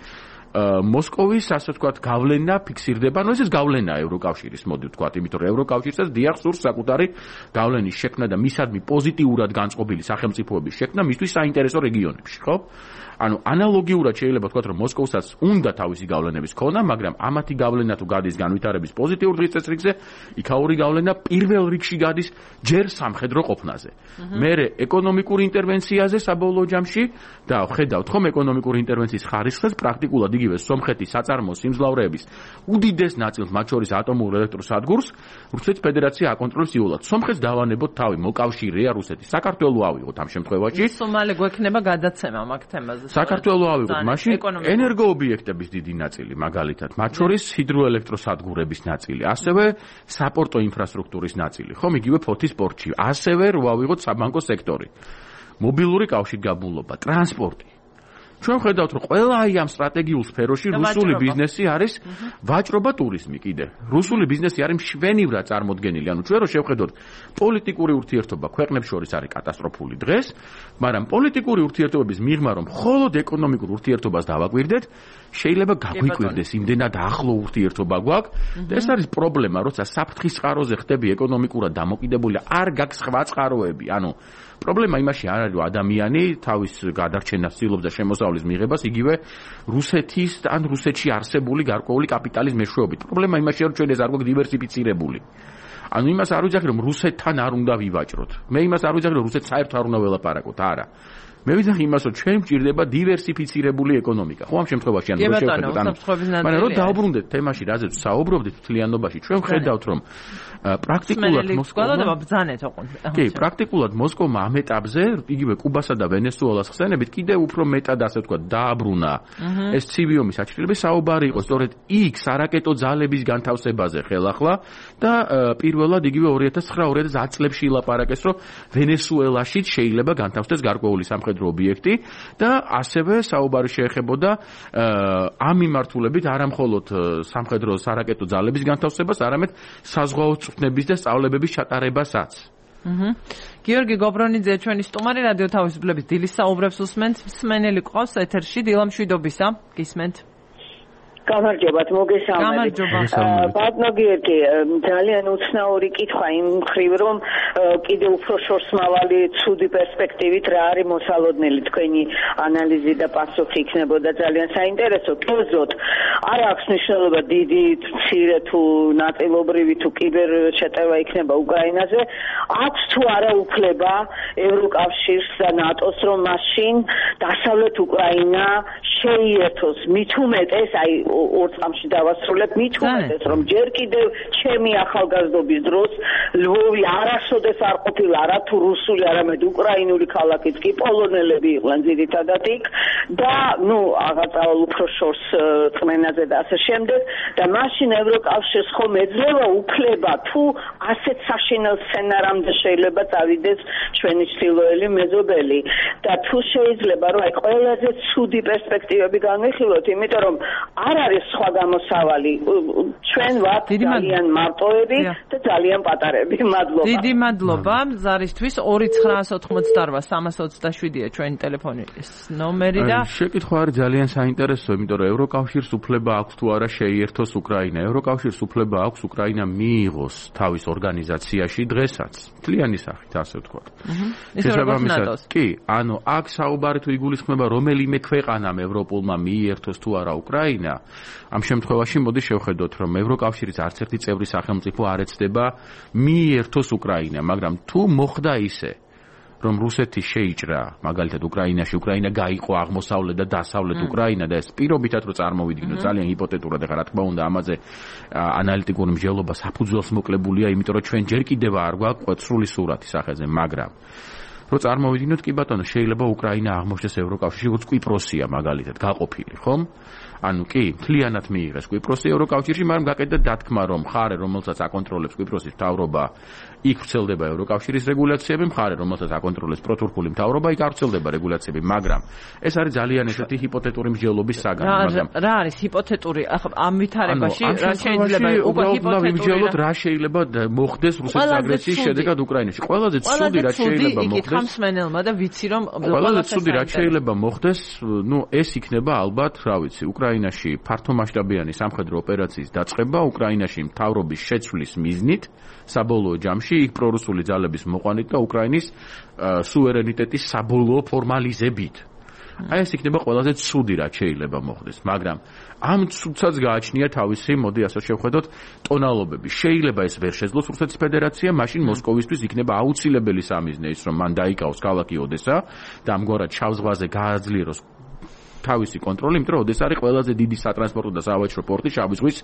მოსკოვის, ასე ვთქვათ, გავლენა ფიქსირდება, ანუ ეს გავლენაა ევროკავშირის, მოდი ვთქვათ, იმიტომ რომ ევროკავშირსაც დიახ სურს საკუთარი გავლენის შექმნა და მისადმი პოზიტიურად განწყობილი სახელმწიფოების შექმნა მისთვის საინტერესო რეგიონებში, ხო? ანუ ანალოგიურად შეიძლება ვთქვათ, რომ მოსკოვსაც უნდა თავისი გავლენების ქონა, მაგრამ ამათი გავლენა თუ გადის განვითარების პოზიტიურ დღის წესრიგზე, იქაური გავლენა პირველ რიგში გადის ჯერ სამხედრო ყოფნაზე. მერე ეკონომიკურ ინტერვენციაზე საბოლოო ჯამში და ხედავთ ხომ ეკონომიკური ინტერვენციის ხარისხს პრაქტიკულად იგივე სომხეთის საწარმოო სიმძლავრეების უდიდეს ნაწილს, მათ შორის ატომურ ელექტროსადგურს, რუსეთის ფედერაცია აკონტროლებს იულად. სომხეთს დავანებოთ თავი, მოკავშირეა რუსეთის. საქართველოს ავიღოთ ამ შემთხვევაში. სომალე გვექნება გადაცემა მაგ თემაზე. საქართველოს ავიღოთ, მაშინ ენერგოობიექტების დიდი ნაწილი, მაგალითად, მათ შორის ჰიდროელექტროსადგურების ნაწილი, ასევე საპორტო ინფრასტრუქტურის ნაწილი, ხომ, იგივე ფოთის პორტში, ასევე რო ავიღოთ საბანკო სექტორი. მობილური კავშირგაბმულობა, ტრანსპორტი. ჩვენ ხედავთ, რომ ყველა აი ამ სტრატეგიულ სფეროში რუსული ბიზნესი არის ვაჭრობა, ტურიზმი კიდე. რუსული ბიზნესი არის მშვენივრად წარმოდგენილი. ანუ ჩვენ რო შევხედოთ, პოლიტიკური ურთიერთობა ქვეყნებს შორის არის კატასტროფული დღეს, მაგრამ პოლიტიკური ურთიერთობების მიღმა რომ მხოლოდ ეკონომიკურ ურთიერთობას დავაკვირდეთ, შეიძლება გაგვიკვირდეს იმდენად ახლო ურთიერთობა გვაქვს და ეს არის პრობლემა, როცა საფრთხის წყაროზე ხდები ეკონომიკურად დამოკიდებული, არ გაქვს სხვა წყაროები. ანუ პრობლემა იმაში არ არის, რომ ადამიანი თავის გადარჩენას ცდილობს და შემოსავლის მიღებას იგივე რუსეთის ან რუსეთში არსებული გარკვეული კაპიტალის მეშვეობით. პრობლემა იმაშია, რომ ჩვენ ეს არ გვაქვს დივერსიფიცირებული. ანუ იმას არ ვიძახი, რომ რუსეთთან არ უნდა ვივაჭროთ. მე იმას არ ვიძახი, რომ რუსეთს საერთოდ არ უნდა ველაპარაკოთ, არა. მე ვიძახი იმას, რომ ჩვენ გვჭირდება დივერსიფიცირებული ეკონომიკა. ხო, ამ შემთხვევაში ანუ რო შევხედოთ, ანუ მაგრამ რომ დაუბრუნდეთ თემაში, რაზეც საუბრობდით მთლიანობაში, ჩვენ ვხედავთ, რომ პრაქტიკულად მოსკოვმა ბრძანეთ ოღონდ. კი, პრაქტიკულად მოსკოვმა ამ ეტაპზე, იგივე კუბასა და ვენესუელას ხსენებით, კიდევ უფრო მეტად ასე ვთქვათ, დააბრუნა ეს ცივი ომის აჩქარების საუბარი იყო სწორედ იქ სარაკეტო ძალების განთავსებაზე ხელახლა და პირველად იგივე ორი ათას ცხრა ორი ათას ათი წლებში ილაპარაკეს, რომ ვენესუელაშიც შეიძლება განთავსდეს გარკვეული სამხედრო ობიექტი და ასევე საუბარი შეეხებოდა ამ მიმართულებით არა მხოლოდ სამხედრო სარაკეტო ძალების განთავსებას, არამედ საზღვაო წვრთნების და სწავლებების ჩატარებასაც. აჰა. გიორგი გობრონიძე ჩვენი სტუმარი რადიო თავისუფლების დილის საუბრებს უსმენთ. მსმენელი ყავს ეთერში დილა მშვიდობისა. გისმენთ. გამარჯობათ, მოგესალმებით. ბატონო გიორგი, ძალიან უცნაური კითხვა იმ მხრივ, რომ კიდე უფრო შორსმავალი ცუდი პერსპექტივით რა არის მოსალოდნელი თქვენი ანალიზი და პასუხი იქნებოდა ძალიან საინტერესო. კერძოდ, არ აქვს მნიშვნელობა დიდი, მცირე თუ ნაწილობრივი თუ კიბერ შეტევა იქნება უკრაინაზე, აქვს თუ არა უფლება ევროკავშირს და ნატოს, რომ მაშინ დასავლეთ უკრაინა შეიერთოს, მით უმეტეს, აი ორ წამში დავასრულებ, მით უმეტეს, რომ ჯერ კიდევ ჩემი ახალგაზრდობის დროს ლვოვი არასოდეს არ ყოფილა არა თუ რუსული, არამედ უკრაინული ქალაქიც კი პოლონელები იყვნენ ძირითადად იქ და ნუ აღაწავალ უფრო შორს წმენაზე და ასე შემდეგ და მაშინ ევროკავშირს ხომ ეძლევა უფლება თუ ასეთ საშინელ სცენარამდე შეიძლება წავიდეს ჩვენი ჩრდილოელი მეზობელი და თუ შეიძლება რომ აი ყველაზე ცუდი პერსპექტივები განვიხილოთ, იმიტომ რომ არ არის სხვა გამოსავალი. ჩვენ ვართ ძალიან მარტოები და ძალიან პატარები. მადლობა. დიდი მადლობა ზარისთვის. ორი ცხრა ოთხმოცდაოთხ სამას ოცდაშვიდია ჩვენი ტელეფონის ნომერი და შეკითხვა არის ძალიან საინტერესო, იმიტომ რომ ევროკავშირს უფლება აქვს თუ არა შეიერთოს უკრაინა. ევროკავშირს უფლება აქვს უკრაინა მიიღოს თავის ორგანიზაციაში დღესაც. მთლიანი სახით, ასე ვთქვათ. შესაბამისად, კი, ანუ აქ საუბარი თუ იგულისხმება რომელიმე ქვეყანამ ევროპულმა მიიერთოს თუ არა უკრაინა, ამ შემთხვევაში მოდი შევხედოთ, რომ ევროკავშირის არც ერთი წევრი სახელმწიფო არ ეცდება მიიერთოს უკრაინა, მაგრამ თუ მოხდა ისე, რომ რუსეთი შეიჭრა, მაგალითად უკრაინაში, უკრაინა გაიყო აღმოსავლეთ და დასავლეთ უკრაინა და ეს პირობითად რო წარმოვიდგინოთ, ძალიან ჰიპოთეტურად, ეხლა რა თქმა უნდა ამაზე ანალიტიკური მსჯელობა საფუძველს მოკლებულია, იმიტომ რომ ჩვენ ჯერ კიდევ არ გვაქვს სრული სურათი სახეზე, მაგრამ რო წარმოვიდგინოთ, კი ბატონო, შეიძლება უკრაინა აღმოჩნდეს ევროკავშირში, როგორც კვიპროსია მაგალითად, გაყოფილი, ხომ? ანუ კი, მთლიანად მიიღეს კვიპროსი ევროკავშირში, მაგრამ გაკეთდა დათქმა, რომ მხარე, რომელსაც აკონტროლებს კვიპროსის მთავრობა, იქ ვრცელდება ევროკავშირის რეგულაციები, მხარე, რომელსაც აკონტროლებს პროტურკული მთავრობა, იქ არ ვრცელდება რეგულაციები, მაგრამ ეს არის ძალიან ესეთი ჰიპოთეტური მსჯელობის საგანი, მაგრამ რა არის ჰიპოთეტური? ამ ვითარებაში რა შეიძლება უკვე ჰიპოთეტური რა შეიძლება მოხდეს რუსეთის აგრესიის შედეგად უკრაინაში? ყველაზე ცუდი რაც შეიძლება მოხდეს ხამსმენელმა და ვიცი რომ ყველაზე ცუდი რაც შეიძლება მოხდეს, ნუ ეს იქნება ალბათ, რა ვიცი, უკრაინაში ფართომასშტაბიანი სამხედრო ოპერაციის დაწყება, უკრაინაში მთავრობის შეცვლის მიზნით, საბოლოო ჯამში იქ პრორუსული ძალების მოყვანით და უკრაინის სუვერენიტეტის საბოლოო ფორმალიზებით. აი ეს იქნება ყველაზე ცუდი რაც შეიძლება მოხდეს, მაგრამ ამ ცუდსაც გააჩნია თავისი, მოდი ასე შევხედოთ, ტონალობები. შეიძლება ეს ვერ შეძლოს რუსეთის ფედერაცია, მაშინ მოსკოვისთვის იქნება აუცილებელი სამიზნე ის, რომ მან დაიკავოს ქალაქი ოდესა და ამგვარად შავ ზღვაზე გააძლიეროს თავისი კონტროლი, იმიტომ რომ ოდესა არის ყველაზე დიდი სატრანსპორტო და სავაჭრო პორტი შავი ზღვის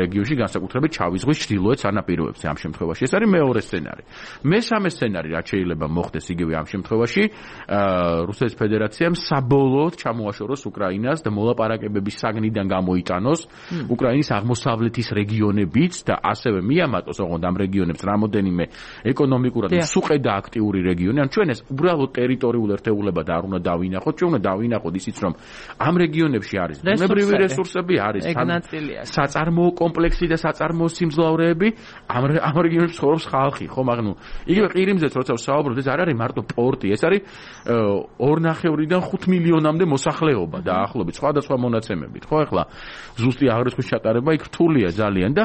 რეგიონში, განსაკუთრებით შავი ზღვის ჩრდილოეთ სანაპიროებზე ამ შემთხვევაში. ეს არის მეორე სცენარი. მესამე სცენარი, რაც შეიძლება მოხდეს იგივე ამ შემთხვევაში, რუსეთის ფედერაციამ საბოლოოდ ჩამოაშოროს უკრაინას და მოლაპარაკებების საგნიდან გამოიტანოს უკრაინის აღმოსავლეთის რეგიონებიც და ასევე მიამატოს ოღონდ ამ რეგიონებს რამოდენიმე ეკონომიკურად სუყე და აქტიური რეგიონი. ან ჩვენ ეს უბრალოდ ტერიტორიულ ერთეულებად არ უნდა დავინახოთ, ჩვენ უნდა დავინახოთ ისიც, რომ ამ რეგიონებში არის ბუნებრივი რესურსები, არის საწარმოო კომპლექსი და საწარმოო სიმძლავრეები, ამ ამ რეგიონებში ცხოვრობს ხალხი, ხომ აღნუ იგივე ყირიმზეც როცა ვსაუბრობთ, ეს არ არის მარტო პორტი, ეს არის ორ ნახევრიდან ხუთ მილიონამდე მოსახლეობა დაახლოებით სხვადასხვა მონაცემებით, ხო ახლა ზუსტი აღრიცხვის ჩატარება იქ რთულია ძალიან და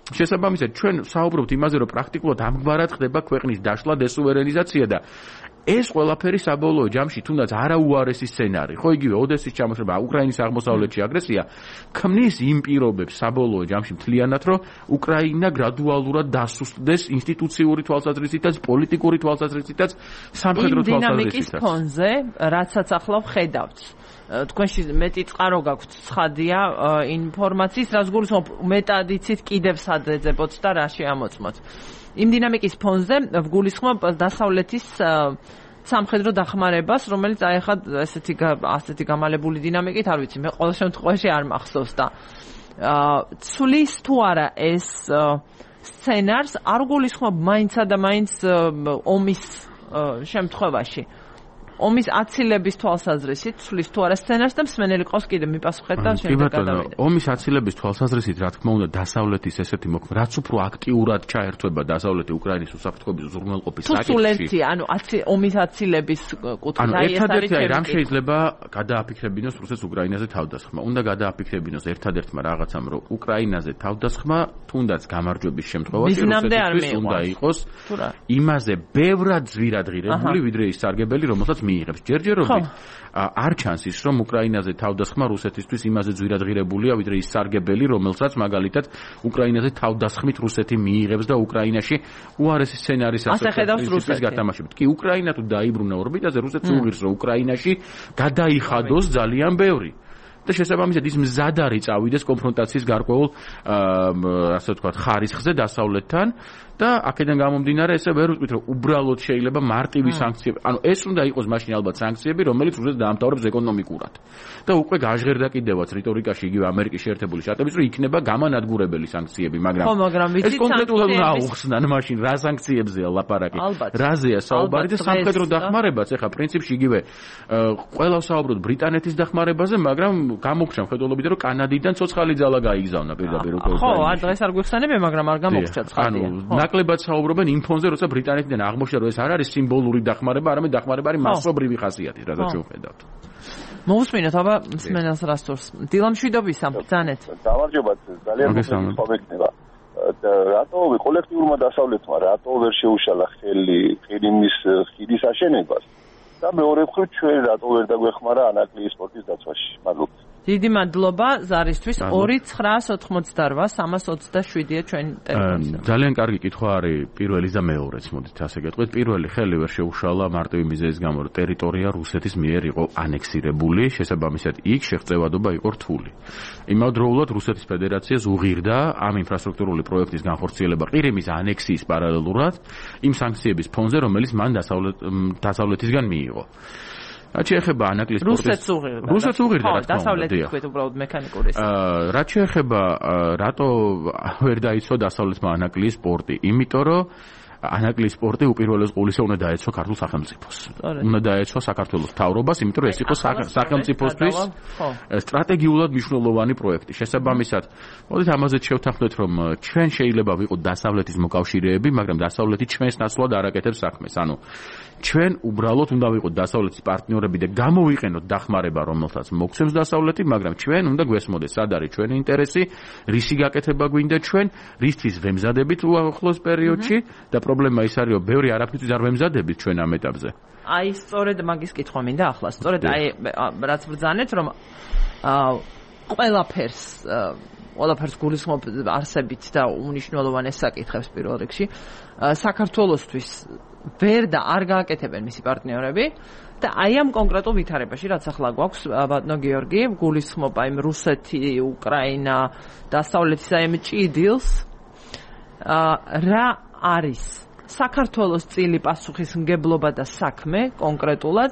შესაბამისად ჩვენ ვსაუბრობთ იმაზე, რომ პრაქტიკულად ამგვარად ხდება ქვეყნის დაშლა, დესუვერენიზაცია და ეს ყველაფერი საბოლოო ჯამში თუნდაც არაუარესი სცენარი, ხო იგივე ოდესის ჩამოშრება, უკრაინის აღმოსავლეთში აგრესია, ქმნის იმ პირობებს საბოლოო ჯამში მთლიანად, რომ უკრაინა გრადუალურად დასუსტდეს ინსტიტუციური თვალსაზრისითაც, პოლიტიკური თვალსაზრისითაც, სამხედრო თვალსაზრისითაც. იმ დინამიკის ფონზე, რაცაც ახლა ვხედავთ. თქვენში მეტი წყარო გაქვთ ცხადია ინფორმაციის, რაც გულისხმობ მეტად იცით კიდევ სად ეძებოთ და რა შეამოწმოთ. იმ დინამიკის ფონზე ვგულისხმობ დასავლეთის სამხედრო დახმარებას, რომელიც აი ახლა ესეთი ასეთი გამალებული დინამიკით არ ვიცი, მე ყოველ შემთხვევაში არ მახსოვს და ცulis თუ არა ეს სცენარს არ გულისხმობ მაინცა და მაინც ომის შემთხვევაში. ომის აცილების თვალსაზრისით ცulis თუ არა სცენარს და მსმენელი ყავს კიდე მიპასუხეთ და შემდეგ გადავიდეთ. ომის აცილების თვალსაზრისით რა თქმა უნდა დასავლეთის ესეთი მოქმედება, რაც უფრო აქტიურად ჩაერთვება დასავლეთი უკრაინის უსაფრთხოების უზრუნველყოფის საკითხში. სულელცი, ანუ ომის აცილების კუთხით აი ეს არის ერთადერთი რამ შეიძლება გადააფიქრებინოს რუსეთს უკრაინაზე თავდასხმა. უნდა გადააფიქრებინოს ერთადერთმა რაღაცამ, რომ უკრაინაზე თავდასხმა თუნდაც გამარჯვების შემთხვევაში რუსეთისთვის უნდა იყოს იმაზე ბევრად ზვირადღირებული, ვიდრე ის სარგებელი, რომელსაც მიიღებს. ჯერჯერობით არ ჩანს ის, რომ უკრაინაზე თავდასხმა რუსეთისთვის იმაზე ძვირადღირებულია, ვიდრე ის სარგებელი, რომელსაც მაგალითად უკრაინაზე თავდასხმით რუსეთი მიიღებს და უკრაინაში უარესი სცენარის ასაკის გათამაშებით. კი, უკრაინა თუ დაიბრუნა ორბიტაზე, რუსეთს უღირს, რომ უკრაინაში გადაიხადოს ძალიან ბევრი. და შესაბამისად ის მზად არის წავიდეს კონფრონტაციის გარკვეულ ასე ვთქვათ ხარისხზე დასავლეთთან და აქედან გამომდინარე ესე ვერ ვიტყვით რომ უბრალოდ შეიძლება მარტივი სანქციები, ანუ ეს უნდა იყოს მაშინ ალბათ სანქციები, რომელიც რუსეთს დაამთავრებს ეკონომიკურად. და უკვე გაჟღერდა კიდევაც რიტორიკაში იგივე ამერიკის შეერთებული შტატების რომ იქნება გამანადგურებელი სანქციები, მაგრამ ხო, მაგრამ ვიცით ეს კონკრეტულად უნდა აუხსნან მაშინ რა სანქციებზეა ლაპარაკი, რაზეა საუბარი და სამხედრო დახმარებაც ეხა პრინციპში იგივე ყველა ვსაუბრობთ ბრიტანეთის დახმარებაზე, მაგრამ გამოგჩა მხედველობით რომ კანადიდან ცოცხალი ძალა გაიგზავნა პირდაპირ უკრაინაში. ხო, არ დღეს არ გვიხსენებია, მაგრამ არ გამოგჩა ცხადია. ნაკლებად საუბრობენ იმ ფონზე, როცა ბრიტანეთიდან აღმოჩნდა, რომ ეს არ არის სიმბოლური დახმარება, არამედ დახმარება არის მასობრივი ხასიათის, რადგან შევხედავთ. მოусმინოთ, აბა მსმენელს რასწორს. დილამშვიდობისა, ბრძანეთ. გამარჯობა, ძალიან მოგესალმება. რატო კოლექტიურმა დასავლეთმა რატო ვერ შეუშალა ხელი ყირიმის ხიდის აშენებას? და მეორე მხრივ ჩვენ რატო ვერ დაგვეხმარა ანაკლიის სპორტის დაცვაში? მადლობა. დიდი მადლობა ზარისთვის. ორი ცხრა ოცდაოთხმოცდაოთხ სამას ოცდაშვიდია ჩვენი ტელეფონი. ძალიან კარგი კითხვა არის პირველი და მეორეც, მოდით ასე გეტყვით. პირველი ხელი ვერ შეუშალა მარტივი მიზეზის გამო, რომ ტერიტორია რუსეთის მიერ იყო ანექსირებული, შესაბამისად იქ შეღწევადობა იყო რთული. იმავდროულად რუსეთის ფედერაციას უღირდა ამ ინფრასტრუქტურული პროექტის განხორციელება ყირიმის ანექსიის პარალელურად იმ სანქციების ფონზე, რომელიც მან დასავლეთისგან მიიღო. რაც შეეხება ანაკლიის სპორტის რუსეთს უღირდა. რუსეთს უღირდა, რა თქმა უნდა. დასავლეთი თქვით უბრალოდ მექანიკური. აა რაც შეეხება რატო ვერ დაიცვა დასავლეთმა ანაკლიის სპორტი? იმიტომ რომ ანაკლიის სპორტი უპირველეს ყოვლისა უნდა დაეცვა ქართულ სახელმწიფოს. უნდა დაეცვა საქართველოს მთავრობას, იმიტომ რომ ეს იყო სახელმწიფოსთვის სტრატეგიულად მნიშვნელოვანი პროექტი. შესაბამისად, მოდით ამაზე შევთანხმდეთ, რომ ჩვენ შეიძლება ვიყოთ დასავლეთის მოკავშირეები, მაგრამ დასავლეთი ჩვენს ნაცვლად არ აკეთებს საქმეს. ანუ ჩვენ უბრალოდ უნდა ვიყოთ დასავლეთის პარტნიორები და გამოვიყენოთ დახმარება, რომელსაც მოგცემს დასავლეთი, მაგრამ ჩვენ უნდა გვესმოდეს, სად არის ჩვენი ინტერესი, რისი გაკეთება გვინდა ჩვენ, რისთვის ვემზადებით უახლოს პერიოდში და პრობლემა ის არის, რომ ბევრი არაფრისთვის არ ვემზადებით ჩვენ ამ ეტაპზე. აი, სწორედ მაგის კითხვა მინდა ახლა, სწორედ აი რაც ბრძანეთ, რომ ყველაფერს ყველაფერს გულისხმობ არსებით და უნიშნელოვანეს საკითხებს პირველ რიგში. საქართველოსთვის ვერ და არ გააკეთებენ მისი პარტნიორები და აი ამ კონკრეტულ ვითარებაში, რაც ახლა გვაქვს, ბატონო გიორგი, გულისხმობა იმ რუსეთი, უკრაინა, დასავლეთის აი ამ ჭიდილს, რა არის საქართველოს წილი პასუხისმგებლობა და საქმე კონკრეტულად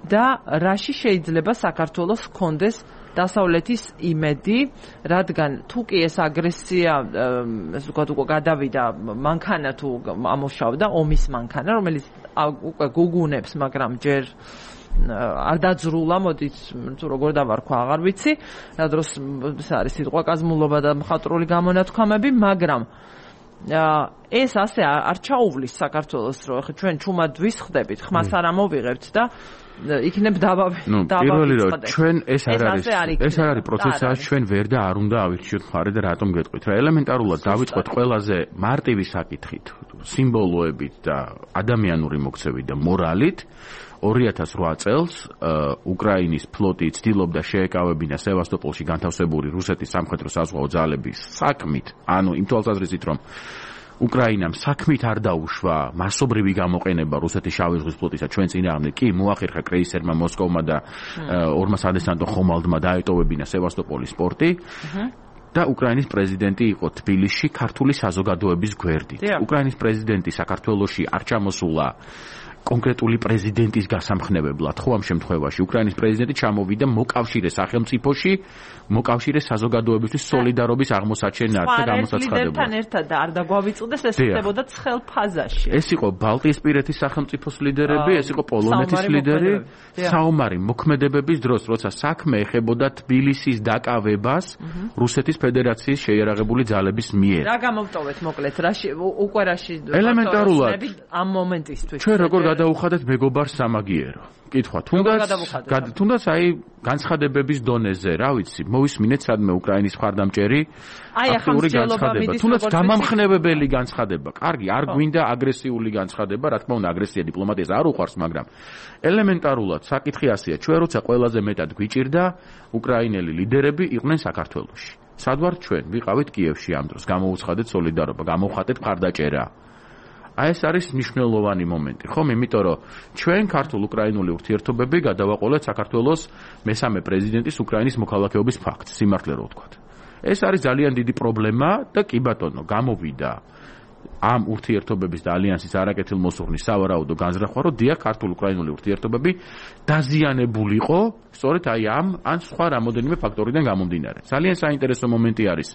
და რაში შეიძლება საქართველოს ჰქონდეს დასავლეთის იმედი, რადგან თუ კი ეს აგრესია, ესე ვთქვათ, უკვე გადავიდა მანქანა თუ ამუშავდა ომის მანქანა, რომელიც უკვე გუგუნებს, მაგრამ ჯერ არ დაძრულა, მოდით, თუ როგორ დავარქვა, აღარ ვიცი, რა დროს ეს არის სიტყვა კაზმულობა და მხატვრული გამონათქვამები, მაგრამ ეს ასე არ ჩაუვლის საქართველოს, რომ ხა ჩვენ ჩუმად ვისხდებით, ხმას არ ამოვიღებთ და იქნებ დაბავი. ნუ პირველი რომ ჩვენ ეს არ არის ეს არ არის პროცესი, ჩვენ ვერ და არ უნდა ავირჩიოთ მხარე და რატომ გეტყვით რა ელემენტარულად დავიწყოთ ყველაზე მარტივი საკითხით, სიმბოლოებით და ადამიანური მოქცევით და მორალით. ორი ათას რვა წელს უკრაინის ფლოტი ცდილობდა შეეკავებინა სევასტოპოლში განთავსებული რუსეთის სამხედრო საზღვაო ძალების საქმით, ანუ იმ თვალსაზრისით რომ უკრაინამ საქმით არ დაუშვა მასობრივი გამოყენება რუსეთის შავი ზღვის ფლოტისა ჩვენ წინააღმდეგ, კი მოახერხა კრეისერმა მოსკოვმა და ორმას ადესანტო ხომალდმა დაეტოვებინა სევასტოპოლის პორტი. და უკრაინის პრეზიდენტი იყო თბილისში ქართული საზოგადოების გვერდით. უკრაინის პრეზიდენტი საქართველოში არ ჩამოსულა კონკრეტული პრეზიდენტის გასამხნევებლად, ხო ამ შემთხვევაში უკრაინის პრეზიდენტი ჩამოვიდა მოკავშირე სახელმწიფოში, მოკავშირე საზოგადოებისთვის სოლიდარობის აღმოსაჩენად და გამოსაცხადებლად. ლიდერთან ერთად და არ დაგვავიწყდეს, ეს ხდებოდა ცხელ ფაზაში. ეს იყო ბალტიისპირეთის სახელმწიფოს ლიდერები, ეს იყო პოლონეთის ლიდერი, საომარი მოქმედებების დროს, როცა საქმე ეხებოდა თბილისის დაკავებას რუსეთის ფედერაციის შეიარაღებული ძალების მიერ. რა გამოვტოვეთ მოკლედ, რაში უკვე რაში ელემენტარულად ამ მომენტისთვის. ჩვენ როგორ გადავუხადეთ მეგობარ სამაგიერო. კითხვა, თუნდაც თუნდაც აი განცხადებების დონეზე, რა ვიცი, მოვისმინეთ სადმე უკრაინის მხარდამჭერი აქტიური განცხადება, თუნდაც გამამხნევებელი განცხადება. კარგი, არ გვინდა აგრესიული განცხადება, რა თქმა უნდა, აგრესია დიპლომატიას არ უყვარს, მაგრამ ელემენტარულად საკითხი ასეა, ჩვენ როცა ყველაზე მეტად გვიჭირდა, უკრაინელი ლიდერები იყვნენ საქართველოში. სად ვართ ჩვენ? ვიყავით კიევში ამ დროს, გამოუცხადეთ სოლიდარობა, გამოვხატეთ მხარდაჭერა. აი ეს არის მნიშვნელოვანი მომენტი, ხომ? იმიტომ რომ ჩვენ ქართულ-უკრაინული ურთიერთობები გადავაყოლეთ საქართველოს მესამე პრეზიდენტის უკრაინის მოქალაქეობის ფაქტს, სიმართლე რო ვთქვათ. ეს არის ძალიან დიდი პრობლემა და კი ბატონო, გამოვიდა ამ ურთიერთობების და ალიანსის არაკეთილმოსურნის სავარაუდო განზრახვა, რომ დიახ, ქართულ-უკრაინული ურთიერთობები დაზიანებულიყო, სწორედ აი ამ ან სხვა რამოდენიმე ფაქტორიდან გამომდინარე. ძალიან საინტერესო მომენტი არის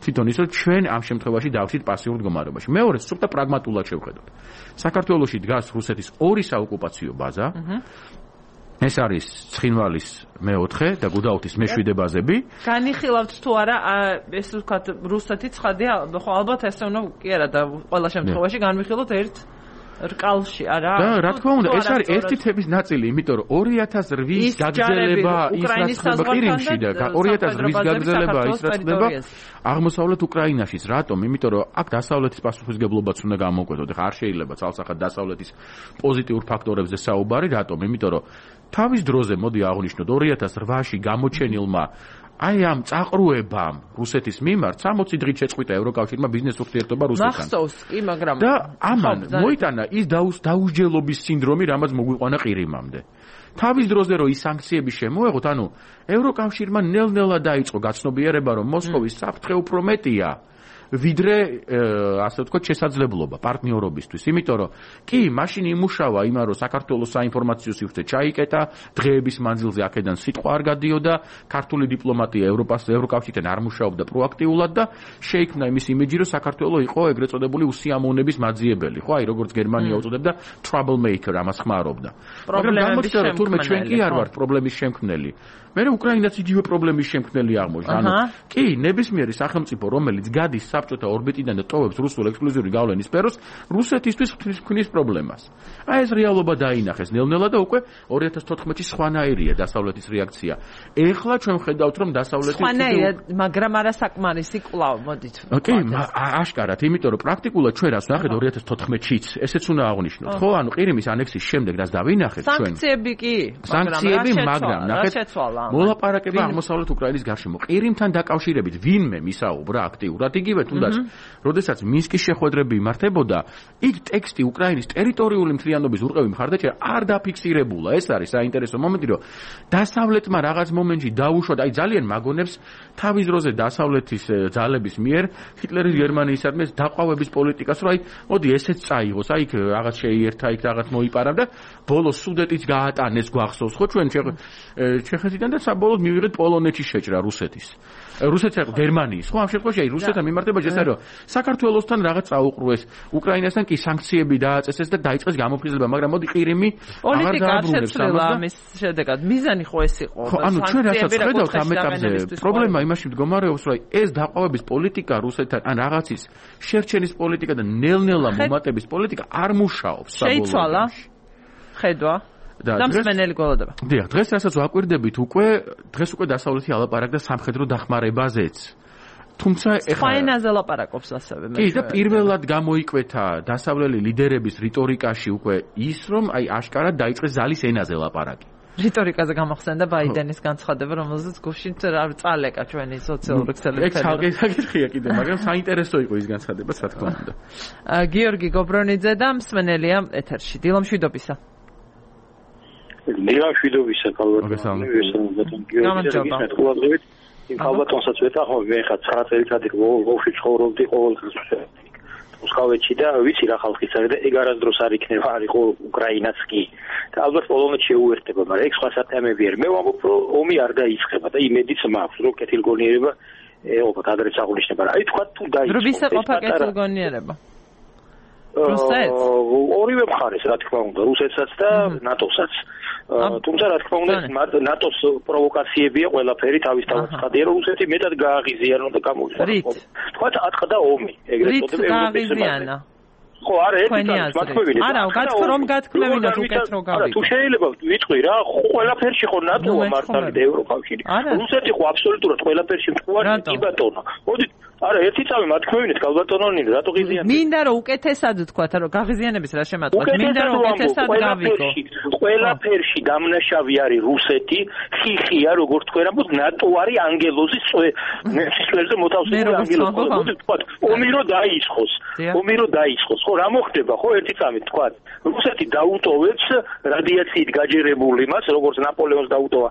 თვითონ ის, რომ ჩვენ ამ შემთხვევაში დავშით პასიურ მდგომარეობაში. მეორე, სულ და პრაგმატულად შევხედოთ. საქართველოში დგას რუსეთის ორი საოკუპაციო ბაზა. ეს არის ცხინვალის მეოთხე და გუდაუთის მეშვიდე ბაზები. განიხილავთ თუ არა ეს ვთქვათ რუსეთი ცხადია, ხო ალბათ ესე უნდა კი არა და ყველა შემთხვევაში განვიხილოთ ერთ რკალში, არა? და რა თქმა უნდა, ეს არის ერთი თების ნაწილი, იმიტომ რომ ორი ათას რვის გაგრძელება ისრაელსა ყირიმში და ორი ათას რვის გაგრძელება ისრაელსა აღმოსავლეთ უკრაინაშიც. რატომ? იმიტომ რომ აქ დასავლეთის პასუხისგებლობაც უნდა გამოვკვეთოთ. ეხლა არ შეიძლება ცალსახად დასავლეთის პოზიტიურ ფაქტორებზე საუბარი, რატომ? იმიტომ რომ თავის დროზე მოდი აღვნიშნოთ ორი ათას რვაში გამოჩენილმა აი ამ წაყრუებამ რუსეთის მიმართ სამოცი დღით შეწყვიტა ევროკავშირმა ბიზნეს ურთიერთობა რუსეთთან. მახსოვს კი, მაგრამ და ამან მოიტანა ის დაუსჯელობის სინდრომი, რამაც მოგვიყვანა ყირიმამდე. თავის დროზე რომ ის სანქციები შემოეღოთ, ანუ ევროკავშირმა ნელ-ნელა დაიწყო გაცნობიერება, რომ მოსკოვის საფრთხე უფრო მეტია ვიდრე ასე ვთქვათ შესაძლებლობა პარტნიორობისთვის. იმიტომ რომ კი, მაშინ იმუშავა იმან, რომ საქართველოს საინფორმაციო სივრცე ჩაიკეტა, დღეების მანძილზე აქედან სიტყვა არ გადიოდა, ქართული დიპლომატია ევროპას ევროკავშირთან არ მუშაობდა პროაქტიულად და შეიქმნა იმის იმიჯი, რომ საქართველო იყო ეგრეთ წოდებული უსიამოვნების მაძიებელი, ხო, აი როგორც გერმანია უწოდებდა trouble maker, ამას ხმარობდა. მაგრამ გამოჩნდა, რომ თურმე ჩვენ კი არ ვართ პრობლემის შემქმნელი. მერე უკრაინაც იგივე პრობლემის შემქმნელი აღმოჩნდა. ანუ კი, ნებისმიერი სახელმწიფო, რომელიც გადის საბჭოთა ორბიტიდან და ტოვებს რუსულ ექსკლუზიური გავლენის სფეროს, რუსეთისთვის ღვთის პრობლემას. აი ეს რეალობა დაინახეს ნელ-ნელა და უკვე ორი ათას თოთხმეტში სხვანაირია დასავლეთის რეაქცია. ეხლა ჩვენ ხედავთ, რომ დასავლეთის სხვანაირია, მაგრამ არა საკმარისი კვლავ, მოდით. კი, აშკარად, იმიტომ რომ პრაქტიკულად ჩვენ რას ვნახეთ ორი ათას თოთხმეტშიც, ესეც უნდა აღვნიშნოთ, ხო? ანუ ყირიმის ანექსის შემდეგ რაც დავინახეთ ჩვენ. სანქციები კი, სანქციები, მაგრამ ნახეთ მოლაპარაკება აღმოსავლეთ უკრაინის გარშემო. ყირიმთან დაკავშირებით ვინმე მისაუბრა აქტიურად, იგივე თუნდაც, როდესაც მინსკის შეხვედრები იმართებოდა, იქ ტექსტი უკრაინის ტერიტორიული მთლიანობის ურყევი მხარდაჭერა არ დაფიქსირებულა. ეს არის საინტერესო მომენტი, რომ დასავლეთმა რაღაც მომენტში დაუშვა, აი ძალიან მაგონებს თავის დროზე დასავლეთის ძალების მიერ ჰიტლერის გერმანიისადმი დაყვავების პოლიტიკას, რომ აი მოდი ესეც წაიღოს, აი იქ რაღაც შეიერთა, იქ რაღაც მოიპარა და ბოლოს სუდეტიც გაატანეს გვახსოვს ხო ჩვენ ჩეხეთიდან და საბოლოოდ მივიღეთ პოლონეთის შეჭრა რუსეთის. რუსეთს აყ გერმანიის ხო ამ შემთხვევაში აი რუსეთთან მიმართებაში ეს არის რომ საქართველოსთან რაღაც წაუყრუეს, უკრაინასთან კი სანქციები დააწესეს და დაიწყეს გამოფხიზლება, მაგრამ მოდი ყირიმი აღარ დააბრუნებს ამას. შედეგად მიზანი ხო ეს იყო? ხო, ანუ ჩვენ რასაც ხედავთ ამ ეტაპზე, პრობლემა იმაში მდგომარეობს, რომ ეს დაყვავების პოლიტიკა რუსეთთან ან რაღაცის შერჩენის პოლიტიკა და ნელ-ნელა მომატების პოლიტიკა არ მუშაობს საბოლოოდ. შეიცვალა ხედვა და მსმენელი გველოდება. დიახ, დღეს რასაც ვაკვირდებით უკვე, დღეს უკვე დასავლეთი ალაპარაკდა სამხედრო დახმარებაზეც. თუმცა ეხლა სხვა ენაზე ლაპარაკობს ასევე მე. კი, და პირველად გამოიკვეთა დასავლელი ლიდერების რიტორიკაში უკვე ის, რომ აი აშკარად დაიწყეს ზალის ენაზე ლაპარაკი. რიტორიკაზე გამოხსენდა ბაიდენის განცხადება, რომელზეც გუშინ წალეკა ჩვენი სოციალური ქსელების ფედერაცია. ეგ საკითხია კიდე, მაგრამ საინტერესო იყო ის განცხადება, რა თქმა უნდა. გიორგი გობრონიძე და მსმენელია ეთერში. დილამშვიდობისა. დილამშვიდობისა, ქალბატონო. გიორგი იმ ქალბატონსაც ვეთანხმობ, მე ხა ცხრა წელიწადი ლვოვში ცხოვრობდი ყოველდღიურ მოსკოვში და ვიცი რა ხალხიც არის და ეგ არასდროს არ იქნება, არ იყო უკრაინაც კი. და ალბათ პოლონეთს შეუერთდება, მაგრამ ეგ სხვა სათემები არის. მე ვამბობ, რომ ომი არ დაიწყება და იმედიც მაქვს, რომ კეთილგონიერება ალბათ ადრეც აღნიშნება. აი თქვა თუ დაიწყო. რომ ვისა ყოფა კეთილგონიერება? რუსეთს? ორივე მხარეს, რა თქმა უნდა, რუსეთსაც და ნატოსაც. თუმცა რა თქმა უნდა ნატოს პროვოკაციებია ყველაფერი თავის თავად ხადია, რომ რუსეთი მეტად გააღიზიანო და გამოიწვია. თქვა ატყდა ომი, ეგრეთ წოდებული გააღიზიანა. ხო, არა, ეს მათქმევინე. არა, გათქვა რომ გათქმევინოთ უკეთ რო გავიგო. თუ შეიძლება ვიტყვი რა, ყველაფერში ხო ნატოა მართალი და ევროკავშირი. რუსეთი ხო აბსოლუტურად ყველაფერში მტყუარი კი ბატონო. მოდი არა, ერთი წამი მათქმევინეთ ქალბატონონი, რატო ღიზიანებთ? მინდა რომ უკეთესად ვთქვა, რომ გააღიზიანების რა შემატყვა. მინდა რომ უკეთესად გავიგო. ყველაფერში დამნაშავე არის რუსეთი, ხიხია, როგორც თქვენ ამბობთ, ნატო არის ანგელოზის სისხლებზე მოთავსებული ანგელოზი. მოდი ვთქვა, ომი რო დაიწყოს. ომი რო დაიწყოს, ხო, რა მოხდება, ხო, ერთი წამი თქვა. რუსეთი დაუტოვებს რადიაციით გაჯერებული მას, როგორც ნაპოლეონს დაუტოვა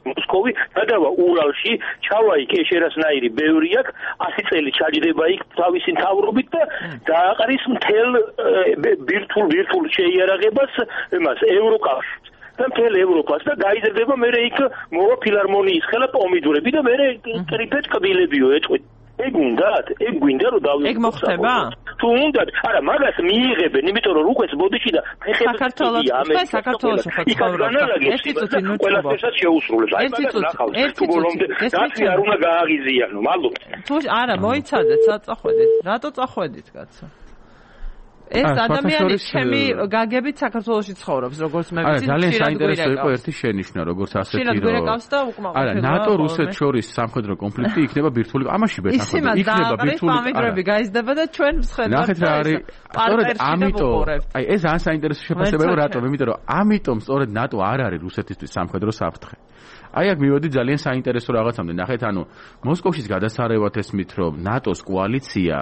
მოსკოვი, გადავა уралში, ჩავა იქ ეშერასნაირი ბევრი აქვს, ასი წელი ჩაჯდება იქ თავისი მთავრობით და დააყრის მთელ ბირთულ ბირთულ შეიარაღებას იმას ევროკავშირს და მთელ ევროპას და გაიზრდება მე იქ მოვა ფილარმონიის ხელა პომიდურები და მე ტრიფეთ კბილებიო ეწყვით. ეგ უნდათ, ეგ გვინდა რომ დავიღოთ. ეგ მოხდება? თუ უნდათ, არა, მაგას მიიღებენ, იმიტომ რომ რუკვეთს ბოდიში და ფეხებს საქართველოს, სხვა საქართველოს ხო ცხოვრობს. ერთი წუთი ნუ ყველასასაც შეუსრულებს. აი მაგას ნახავთ. თუ ბოლომდე დაცი არ უნდა გააღიზიანო, მადლობთ. თუ არა, მოიცადეთ, საწახვედით. რატო წახვედით, კაცო? ეს ადამიანი ჩემი გაგებით საქართველოში ცხოვრობს, როგორც მე ვიცი, ძალიან საინტერესო იყო ერთი შენიშვნა, როგორც ასეთი რომ არა, ნატო რუსეთს შორის სამხედრო კონფლიქტი იქნება ბირთვული, ამაში ვეთანხმები, იქნება ბირთვული პამიტრები გაიზრდება და ჩვენ მსხედავთ. ნახეთ რა არის, სწორედ ამიტომ, აი ეს ძალიან საინტერესო შეფასება იყო რატომ, იმიტომ რომ ამიტომ სწორედ ნატო არ არის რუსეთისთვის სამხედრო საფრთხე. აი აქ მივედი ძალიან საინტერესო რაღაცამდე. ნახეთ, ანუ მოსკოვშიც გადასარევად ესმით, რომ ნატოს კოალიცია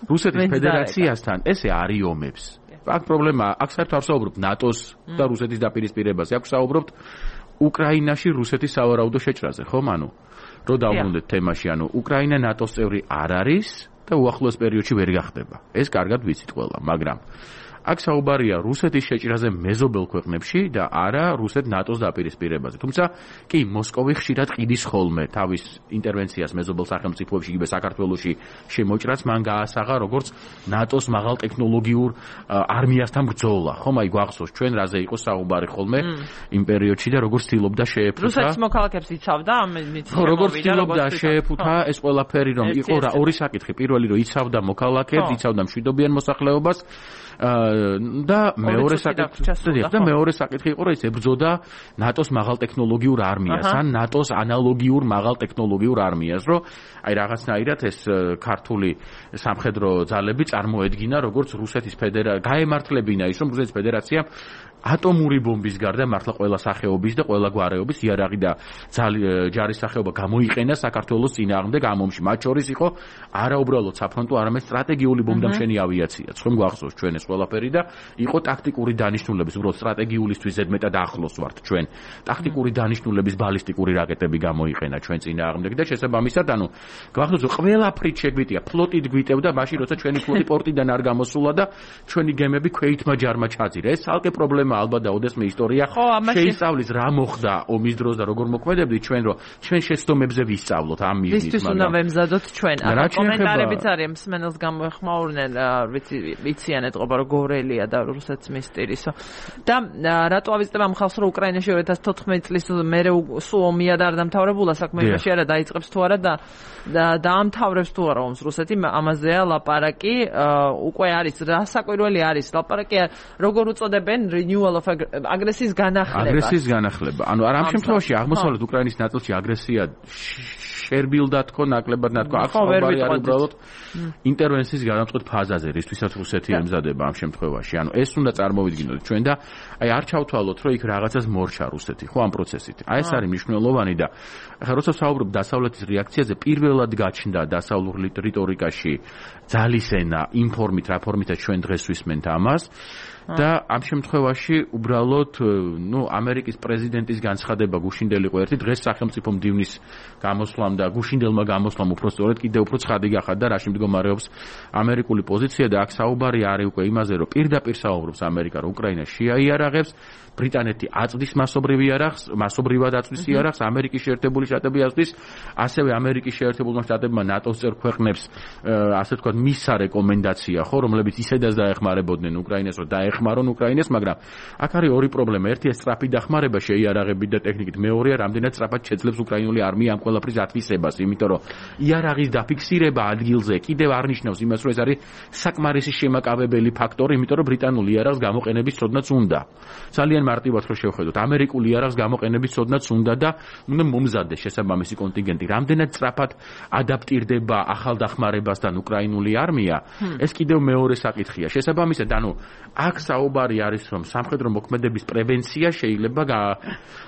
რუსეთის ფედერაციასთან ესე არიომებს. აქ პრობლემა, აქ საერთოდ არ საუბრობთ ნატოს და რუსეთის დაპირისპირებაზე, აქ საუბრობთ უკრაინაში რუსეთის სავარაუდო შეჭრაზე, ხომ? ანუ რო დავბრუნდეთ თემაში, ანუ უკრაინა ნატოს წევრი არ არის და უახლოეს პერიოდში ვერ გახდება. ეს კარგად ვიცით ყველა, მაგრამ აქ საუბარია რუსეთის შეჭრაზე მეზობელ ქვეყნებში და არა რუსეთ ნატოს დაპირისპირებაზე. თუმცა კი მოსკოვი ხშირად ყიდის ხოლმე თავის ინტერვენციას მეზობელ სახელმწიფოებში, იგივე საქართველოში შემოჭრას მან გაასაღა როგორც ნატოს მაღალ ტექნოლოგიურ არმიასთან ბრძოლა. ხომ აი გვახსოვს ჩვენ რაზე იყო საუბარი ხოლმე იმ პერიოდში და როგორც ცდილობდა შეეფუთა. რუსეთის მოქალაქეებს იცავდა ამ მიცემები. ხო, როგორც ცდილობდა შეეფუთა ეს ყველაფერი რომ იყო რა ორი საკითხი. პირველი რომ იცავდა მოქალაქეებს, იცავდა მშვიდობიან მოსახლეობას და მეორე საკითხი და მეორე საკითხი იყო რომ ის ებრძოდა ნატოს მაღალ ტექნოლოგიურ არმიას ან ნატოს ანალოგიურ მაღალ ტექნოლოგიურ არმიას, რომ აი რაღაცნაირად ეს ქართული სამხედრო ძალები წარმოედგინა როგორც რუსეთის ფედერაცია, გაემართლებინა ის რომ რუსეთის ფედერაცია ატომური ბომბის გარდა მართლა ყველა სახეობის და ყველა გვარეობის იარაღი და ჯარის სახეობა გამოიყენა საქართველოს წინააღმდეგ ამ ომში. მათ შორის იყო არა უბრალოდ საფრონტო, არამედ სტრატეგიული ბომბდამშენი ავიაციაც. ხომ გვახსოვს ჩვენ ეს ყველაფერი და იყო ტაქტიკური დანიშნულების, უბრალოდ სტრატეგიულისთვის ზედმეტად ახლოს ვართ ჩვენ. ტაქტიკური დანიშნულების ბალისტიკური რაკეტები გამოიყენა ჩვენ წინააღმდეგ და შესაბამისად, ანუ გვახსოვს, რომ ყველაფრით შეგვიტია, ფლოტით გვიტევდა, მაშინ როცა ჩვენი ფლოტი პორტიდან არ გამოსულა და ჩვენი გემები ქვეითმა ჯარმა ჩაძირა. ეს ალკე პრობლემა ალბათ და ოდესმე ისტორია შეისწავლის რა მოხდა ომის დროს და როგორ მოქმედებდით ჩვენ, რომ ჩვენ შეცდომებზე ვისწავლოთ ამ მიზნით. ვისთვის უნდა ვემზადოთ ჩვენ. ახლა კომენტარებიც არის მსმენელს გამოეხმაურნენ, ვიცი ვიციანეთ ყობა რომ გორელია და რუსეთს მისტირისო. და რატო ავიზიტებ ამ ხალხს რომ უკრაინაში ორი ათას თოთხმეტი წლის მერე სულ ომია და არ დამთავრებულა საქმე იმაში არა დაიწყებს თუ არა და დაამთავრებს თუ არა ომს რუსეთი ამაზეა ლაპარაკი უკვე არის რასაკვირველი არის ლაპარაკი როგორ უწოდებენ renewal of აგრესიის განახლება აგრესიის განახლება ანუ არ ამ შემთხვევაში აღმოსავლეთ უკრაინის ნაწილში აგრესია შერბილდა თქო ნაკლებად ნათქო ახალბარი არის უბრალოდ ინტერვენციის განამწყვეტ ფაზაზე რისთვისაც რუსეთი ემზადება ამ შემთხვევაში ანუ ეს უნდა წარმოვიდგინოთ ჩვენ და აი არ ჩავთვალოთ რომ იქ რაღაცას მორჩა რუსეთი ხო ამ პროცესით აი ეს არის მნიშვნელოვანი და ახლა როცა ვსაუბრობ დასავლეთის რეაქციაზე პირველად გაჩნდა დასავლურ რიტორიკაში ძალისენა ინფორმით რა ფორმითაც ჩვენ დღეს ვისმენთ ამას და ამ შემთხვევაში უბრალოდ ნუ ამერიკის პრეზიდენტის განცხადება გუშინდელიყო ერთი დღეს სახელმწიფო მდივნის გამოსვლამ და გუშინდელმა გამოსვლამ უფრო სწორედ კიდევ უფრო ცხადი გახადა და რაში მდგომარეობს ამერიკული პოზიცია და აქ საუბარი არის უკვე იმაზე რომ პირდაპირ საუბრობს ამერიკა რომ უკრაინა შეაიარაღებს ბრიტანეთი აწვდის მასობრივ იარაღს მასობრივად აწვდის იარაღს ამერიკის შეერთებული შტატები აწვდის ასევე ამერიკის შეერთებულმა შტატებმა ნატოს წევრ ქვეყნებს ასე ვთქვათ მისცა რეკომენდაცია ხო რომლებიც ისედაც დაეხმარებოდნენ უკრაინას რომ დაეხმარონ უკრაინას მაგრამ აქ არის ორი პრობლემა ერთი ეს სწრაფი დახმარება შეიარაღებით და ტექნიკით მეორეა რამდენად სწრაფად შეძლებს უკრაინული არმია ამ ყველაფრის ათვისებას იმიტომ რომ იარაღის დაფიქსირება ადგილზე კიდევ არ ნიშნავს იმას რომ ეს არის საკმარისი შემაკავებელი ფაქტორი იმიტომ რომ ბრიტანული იარაღს გამოყენების ცოდნაც უნდა ძალიან მარტივად რო შევხედოთ ამერიკული იარაღს გამოყენების ცოდნაც უნდა და უნდა მომზადდეს შესაბამისი კონტინგენტი რამდენად სწრაფად ადაპტირდება ახალ დახმარებასთან უკრაინული არმია ეს კიდევ მეორე საკითხია შესაბამისად ანუ აქ საუბარი არის რომ სამხედრო მოქმედების პრევენცია შეიძლება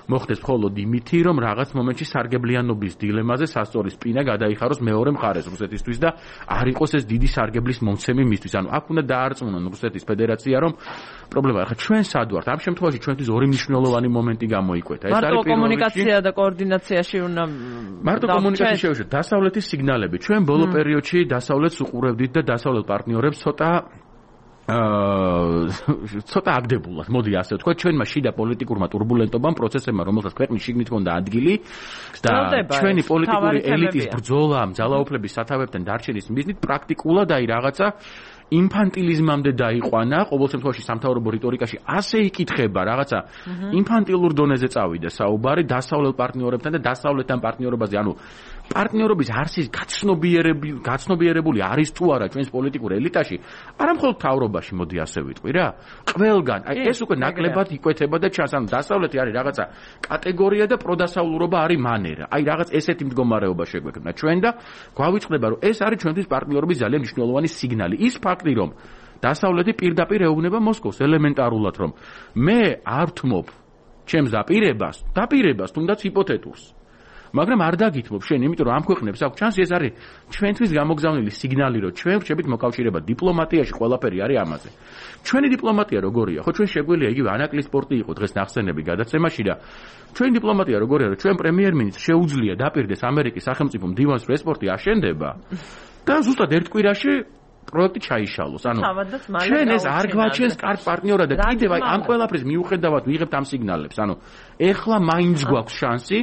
მოხდეს მხოლოდ იმითი რომ რაღაც მომენტში სარგებლიანობის დილემაზე სასწორი სპინა გადაიხაროს მეორე მხარეს რუსეთისთვის და არ იყოს ეს დიდი სარგებლის მომცემი მისთვის ანუ აქ უნდა დაარწმუნონ რუსეთის ფედერაცია რომ პრობლემა ახლა ჩვენ სად ვართ ამ შემთხვევაში ჩვენთვის ორი მნიშვნელოვანი მომენტი გამოიკვეთა ეს არის მარტო კომუნიკაცია და კოორდინაციაში უნდა მარტო კომუნიკაციაში შევშოთ დასავლეთის სიგნალები ჩვენ ბოლო პერიოდში დასავლეთს უყურებდით და დასავლელ პარტნიორებს ცოტა აა ცოტა აგდებულად მოდი ასე ვთქვა ჩვენმა შიდა პოლიტიკურმა турბულენტობამ პროცესებმა რომელსაც ქვეყნის შიგნით ჰქონდა ადგილი და ჩვენი პოლიტიკური ელიტის ბრძოლამ ძალაუფლების სათავეებთან დარჩენის მიზნით პრაქტიკულად აი რაღაცა ინფანტილიზმამდე დაიყვანა ყოველ შემთხვევაში სამთავრობო რიტორიკაში ასე იკითხება რაღაცა ინფანტილურ დონეზე წავიდა საუბარი დასავლელ პარტნიორებთან და დასავლეთთან პარტნიორობაზე ანუ პარტნიორობის არსის გაცნობიერებული გაცნობიერებული არის თუ არა ჩვენს პოლიტიკურ ელიტაში არა მხოლოდ თავრობაში მოდი ასე ვიტყვი რა ყველგან აი ეს უკვე ნაკლებად იკვეთება და ჩანს ანუ დასავლეთი არის რაღაცა კატეგორია და პროდასავლურობა არის მანერა აი რაღაც ესეთი მდგომარეობა შეგვექნა ჩვენ და გვავიწყდება რომ ეს არის ჩვენთვის პარტნიორობის ძალიან მნიშვნელოვანი სიგნალი ის ფაქტი რომ დასავლეთი პირდაპირ ეუბნება მოსკოვს ელემენტარულად რომ მე არ ვთმობ ჩემს დაპირებას დაპირებას თუნდაც ჰიპოთეტურს მაგრამ არ დაგითმობ შენ იმიტომ რომ ამ ქვეყნებს აქვს ჩანსი ეს არის ჩვენთვის გამოგზავნილი სიგნალი რომ ჩვენ ვrchებით მოკავშირეება დიპლომატიაში ყველაფერი არის ამაზე ჩვენი დიპლომატია როგორია ხო ჩვენ შეგვიძლია იგივე ანაკლის სპორტი იყო დღეს ნახსენები გადაცემაში და ჩვენი დიპლომატია როგორია რომ ჩვენ პრემიერ-მინისტრს შეუძლია დაპირდეს ამერიკის სახელმწიფო მდივანს რომ ეს სპორტი აშენდება და ზუსტად ერთ კვირაში პროექტი ჩაიშალოს. ანუ ჩვენ ეს არ გვაჩენს კარგ პარტნიორად და კიდევ აი ამ ყველაფრის მიუხედავად ვიღებთ ამ სიგნალებს. ანუ ეხლა მაინც გვაქვს შანსი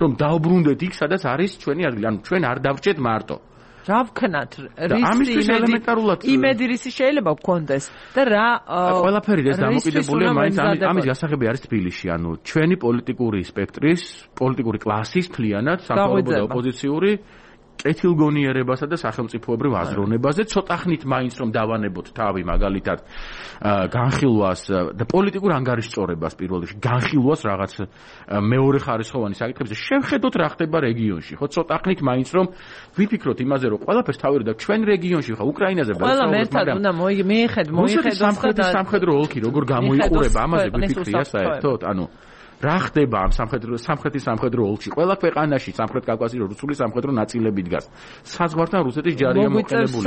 რომ დავბრუნდეთ იქ სადაც არის ჩვენი ადგილი. ანუ ჩვენ არ დავრჩეთ მარტო. რა ვქნათ? რის იმედი რისი შეიძლება გქონდეს და რა ყველაფერი ეს დამოკიდებულია მაინც ამის გასაღები არის თბილისში. ანუ ჩვენი პოლიტიკური სპექტრის, პოლიტიკური კლასის მთლიანად, სამთავრობო და ოპოზიციური კეთილგონიერებასა და სახელმწიფოებრივ აზროვნებაზე, ცოტა ხნით მაინც რომ დავანებოთ თავი მაგალითად განხილვას და პოლიტიკურ ანგარიშწორებას პირველ რიგში, განხილვას რაღაც მეორე ხარისხოვანი საკითხებზე, შევხედოთ რა ხდება რეგიონში, ხო, ცოტა ხნით მაინც რომ ვიფიქროთ იმაზე, რომ ყველაფერს თავი და ჩვენ რეგიონში ხო, უკრაინაზე ყველა ერთად უნდა მიიხედ, მოიხედოს სამხრეთი სამხედრო ოლქი როგორ გამოიყურება, ამაზე ვიფიქრია საერთოდ, ანუ რა ხდება ამ სამხედრო სამხრეთის სამხედრო ოლქში? ყველა ქვეყანაში სამხრეთ კავკასიის რუსული სამხედრო ნაწილები დგას. საზღვართან რუსეთის ჯარია მოყენებული.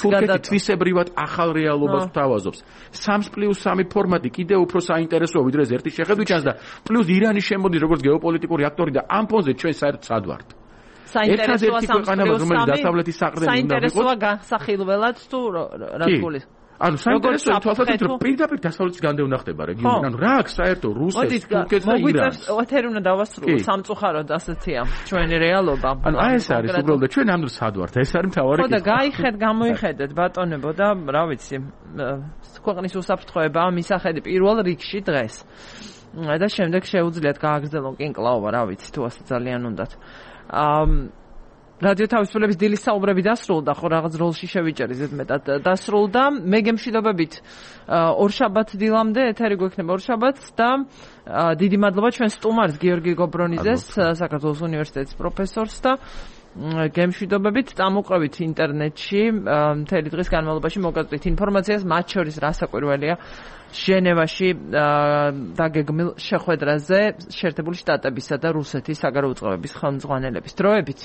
თურქეთი თვისებრივად ახალ რეალობას გვთავაზობს. სამს პლუს სამი ფორმატი კიდევ უფრო საინტერესოა ვიდრე ერთის შეხედვით ჩანს და პლუს ირანი შემოდის როგორც გეოპოლიტიკური აქტორი და ამ ფონზე ჩვენ საერთოდ სად ვართ? საინტერესოა სამს პლუს სამი. დასავლეთის საყრდენი უნდა ვიყოთ. საინტერესოა განსახილველად თუ რა თქოლის? ანუ საინტერესოა თვალსაჩინო რომ პირდაპირ დასავლეთის განდევნა ხდება რეგიონი. ანუ რა აქვს საერთო რუსეთს, თურქეთს და ირანს. ეთერი უნდა დავასრულო სამწუხაროდ ასეთია ჩვენი რეალობა. ანუ აი ეს არის უბრალოდ ჩვენ ამ დროს სად ვართ? ეს არის მთავარი კითხვა. ხო და გაიხედ, გამოიხედეთ ბატონებო და რა ვიცი, ქვეყნის უსაფრთხოება მისახედი პირველ რიგში დღეს. და შემდეგ შეუძლიათ გააგრძელონ კინკლაობა, რა ვიცი, თუ ასე ძალიან უნდათ. აა რადიო თავისუფლების დილის საუბრები დასრულდა, ხო რაღაც როლში შევიჭერი ზედმეტად დასრულდა. მე გემშვიდობებით ორშაბათ დილამდე ეთერი გვექნება ორშაბათს და დიდი მადლობა ჩვენ სტუმარს გიორგი გობრონიძეს, საქართველოს უნივერსიტეტის პროფესორს და გემშვიდობებით წამოყვებით ინტერნეტში მთელი დღის განმავლობაში მოგაწვით ინფორმაციას, მათ შორის რასაკვირველია ჟენევაში დაგეგმილ შეხვედრაზე შეერთებული შტატებისა და რუსეთის საგარეო უწყებების ხელმძღვანელების. დროებით.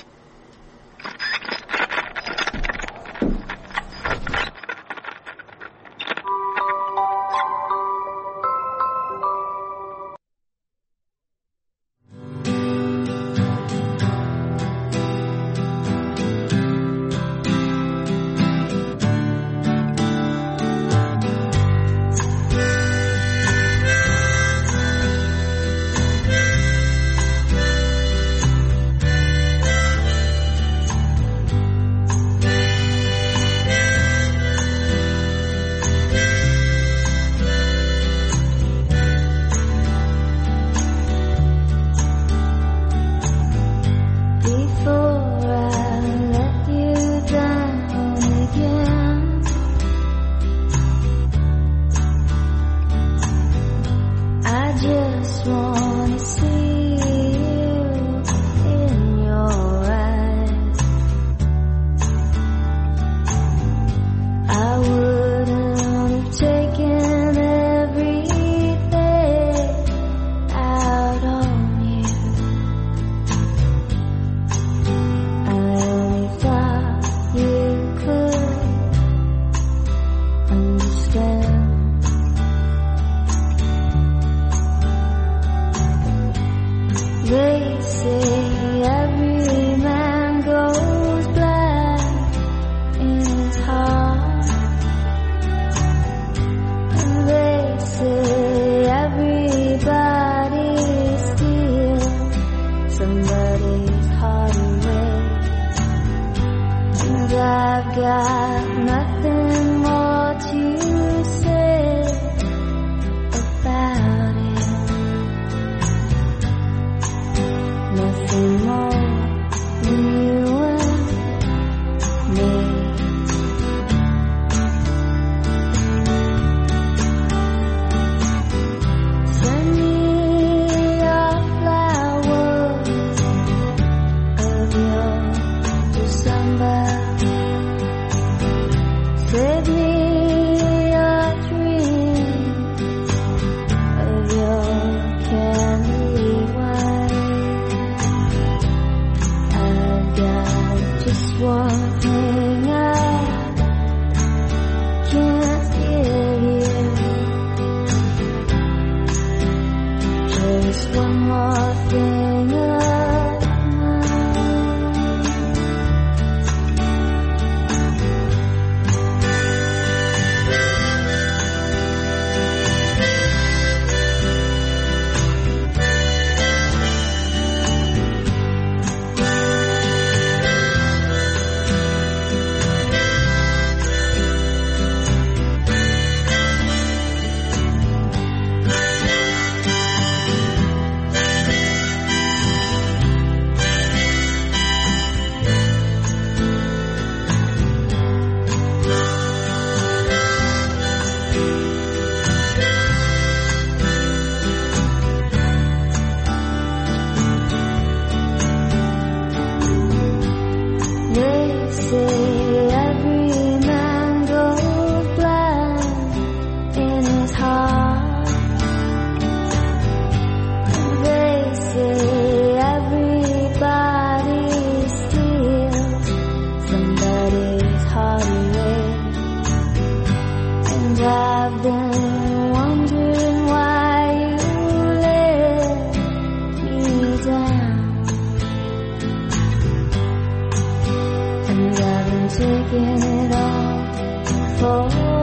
taking it all for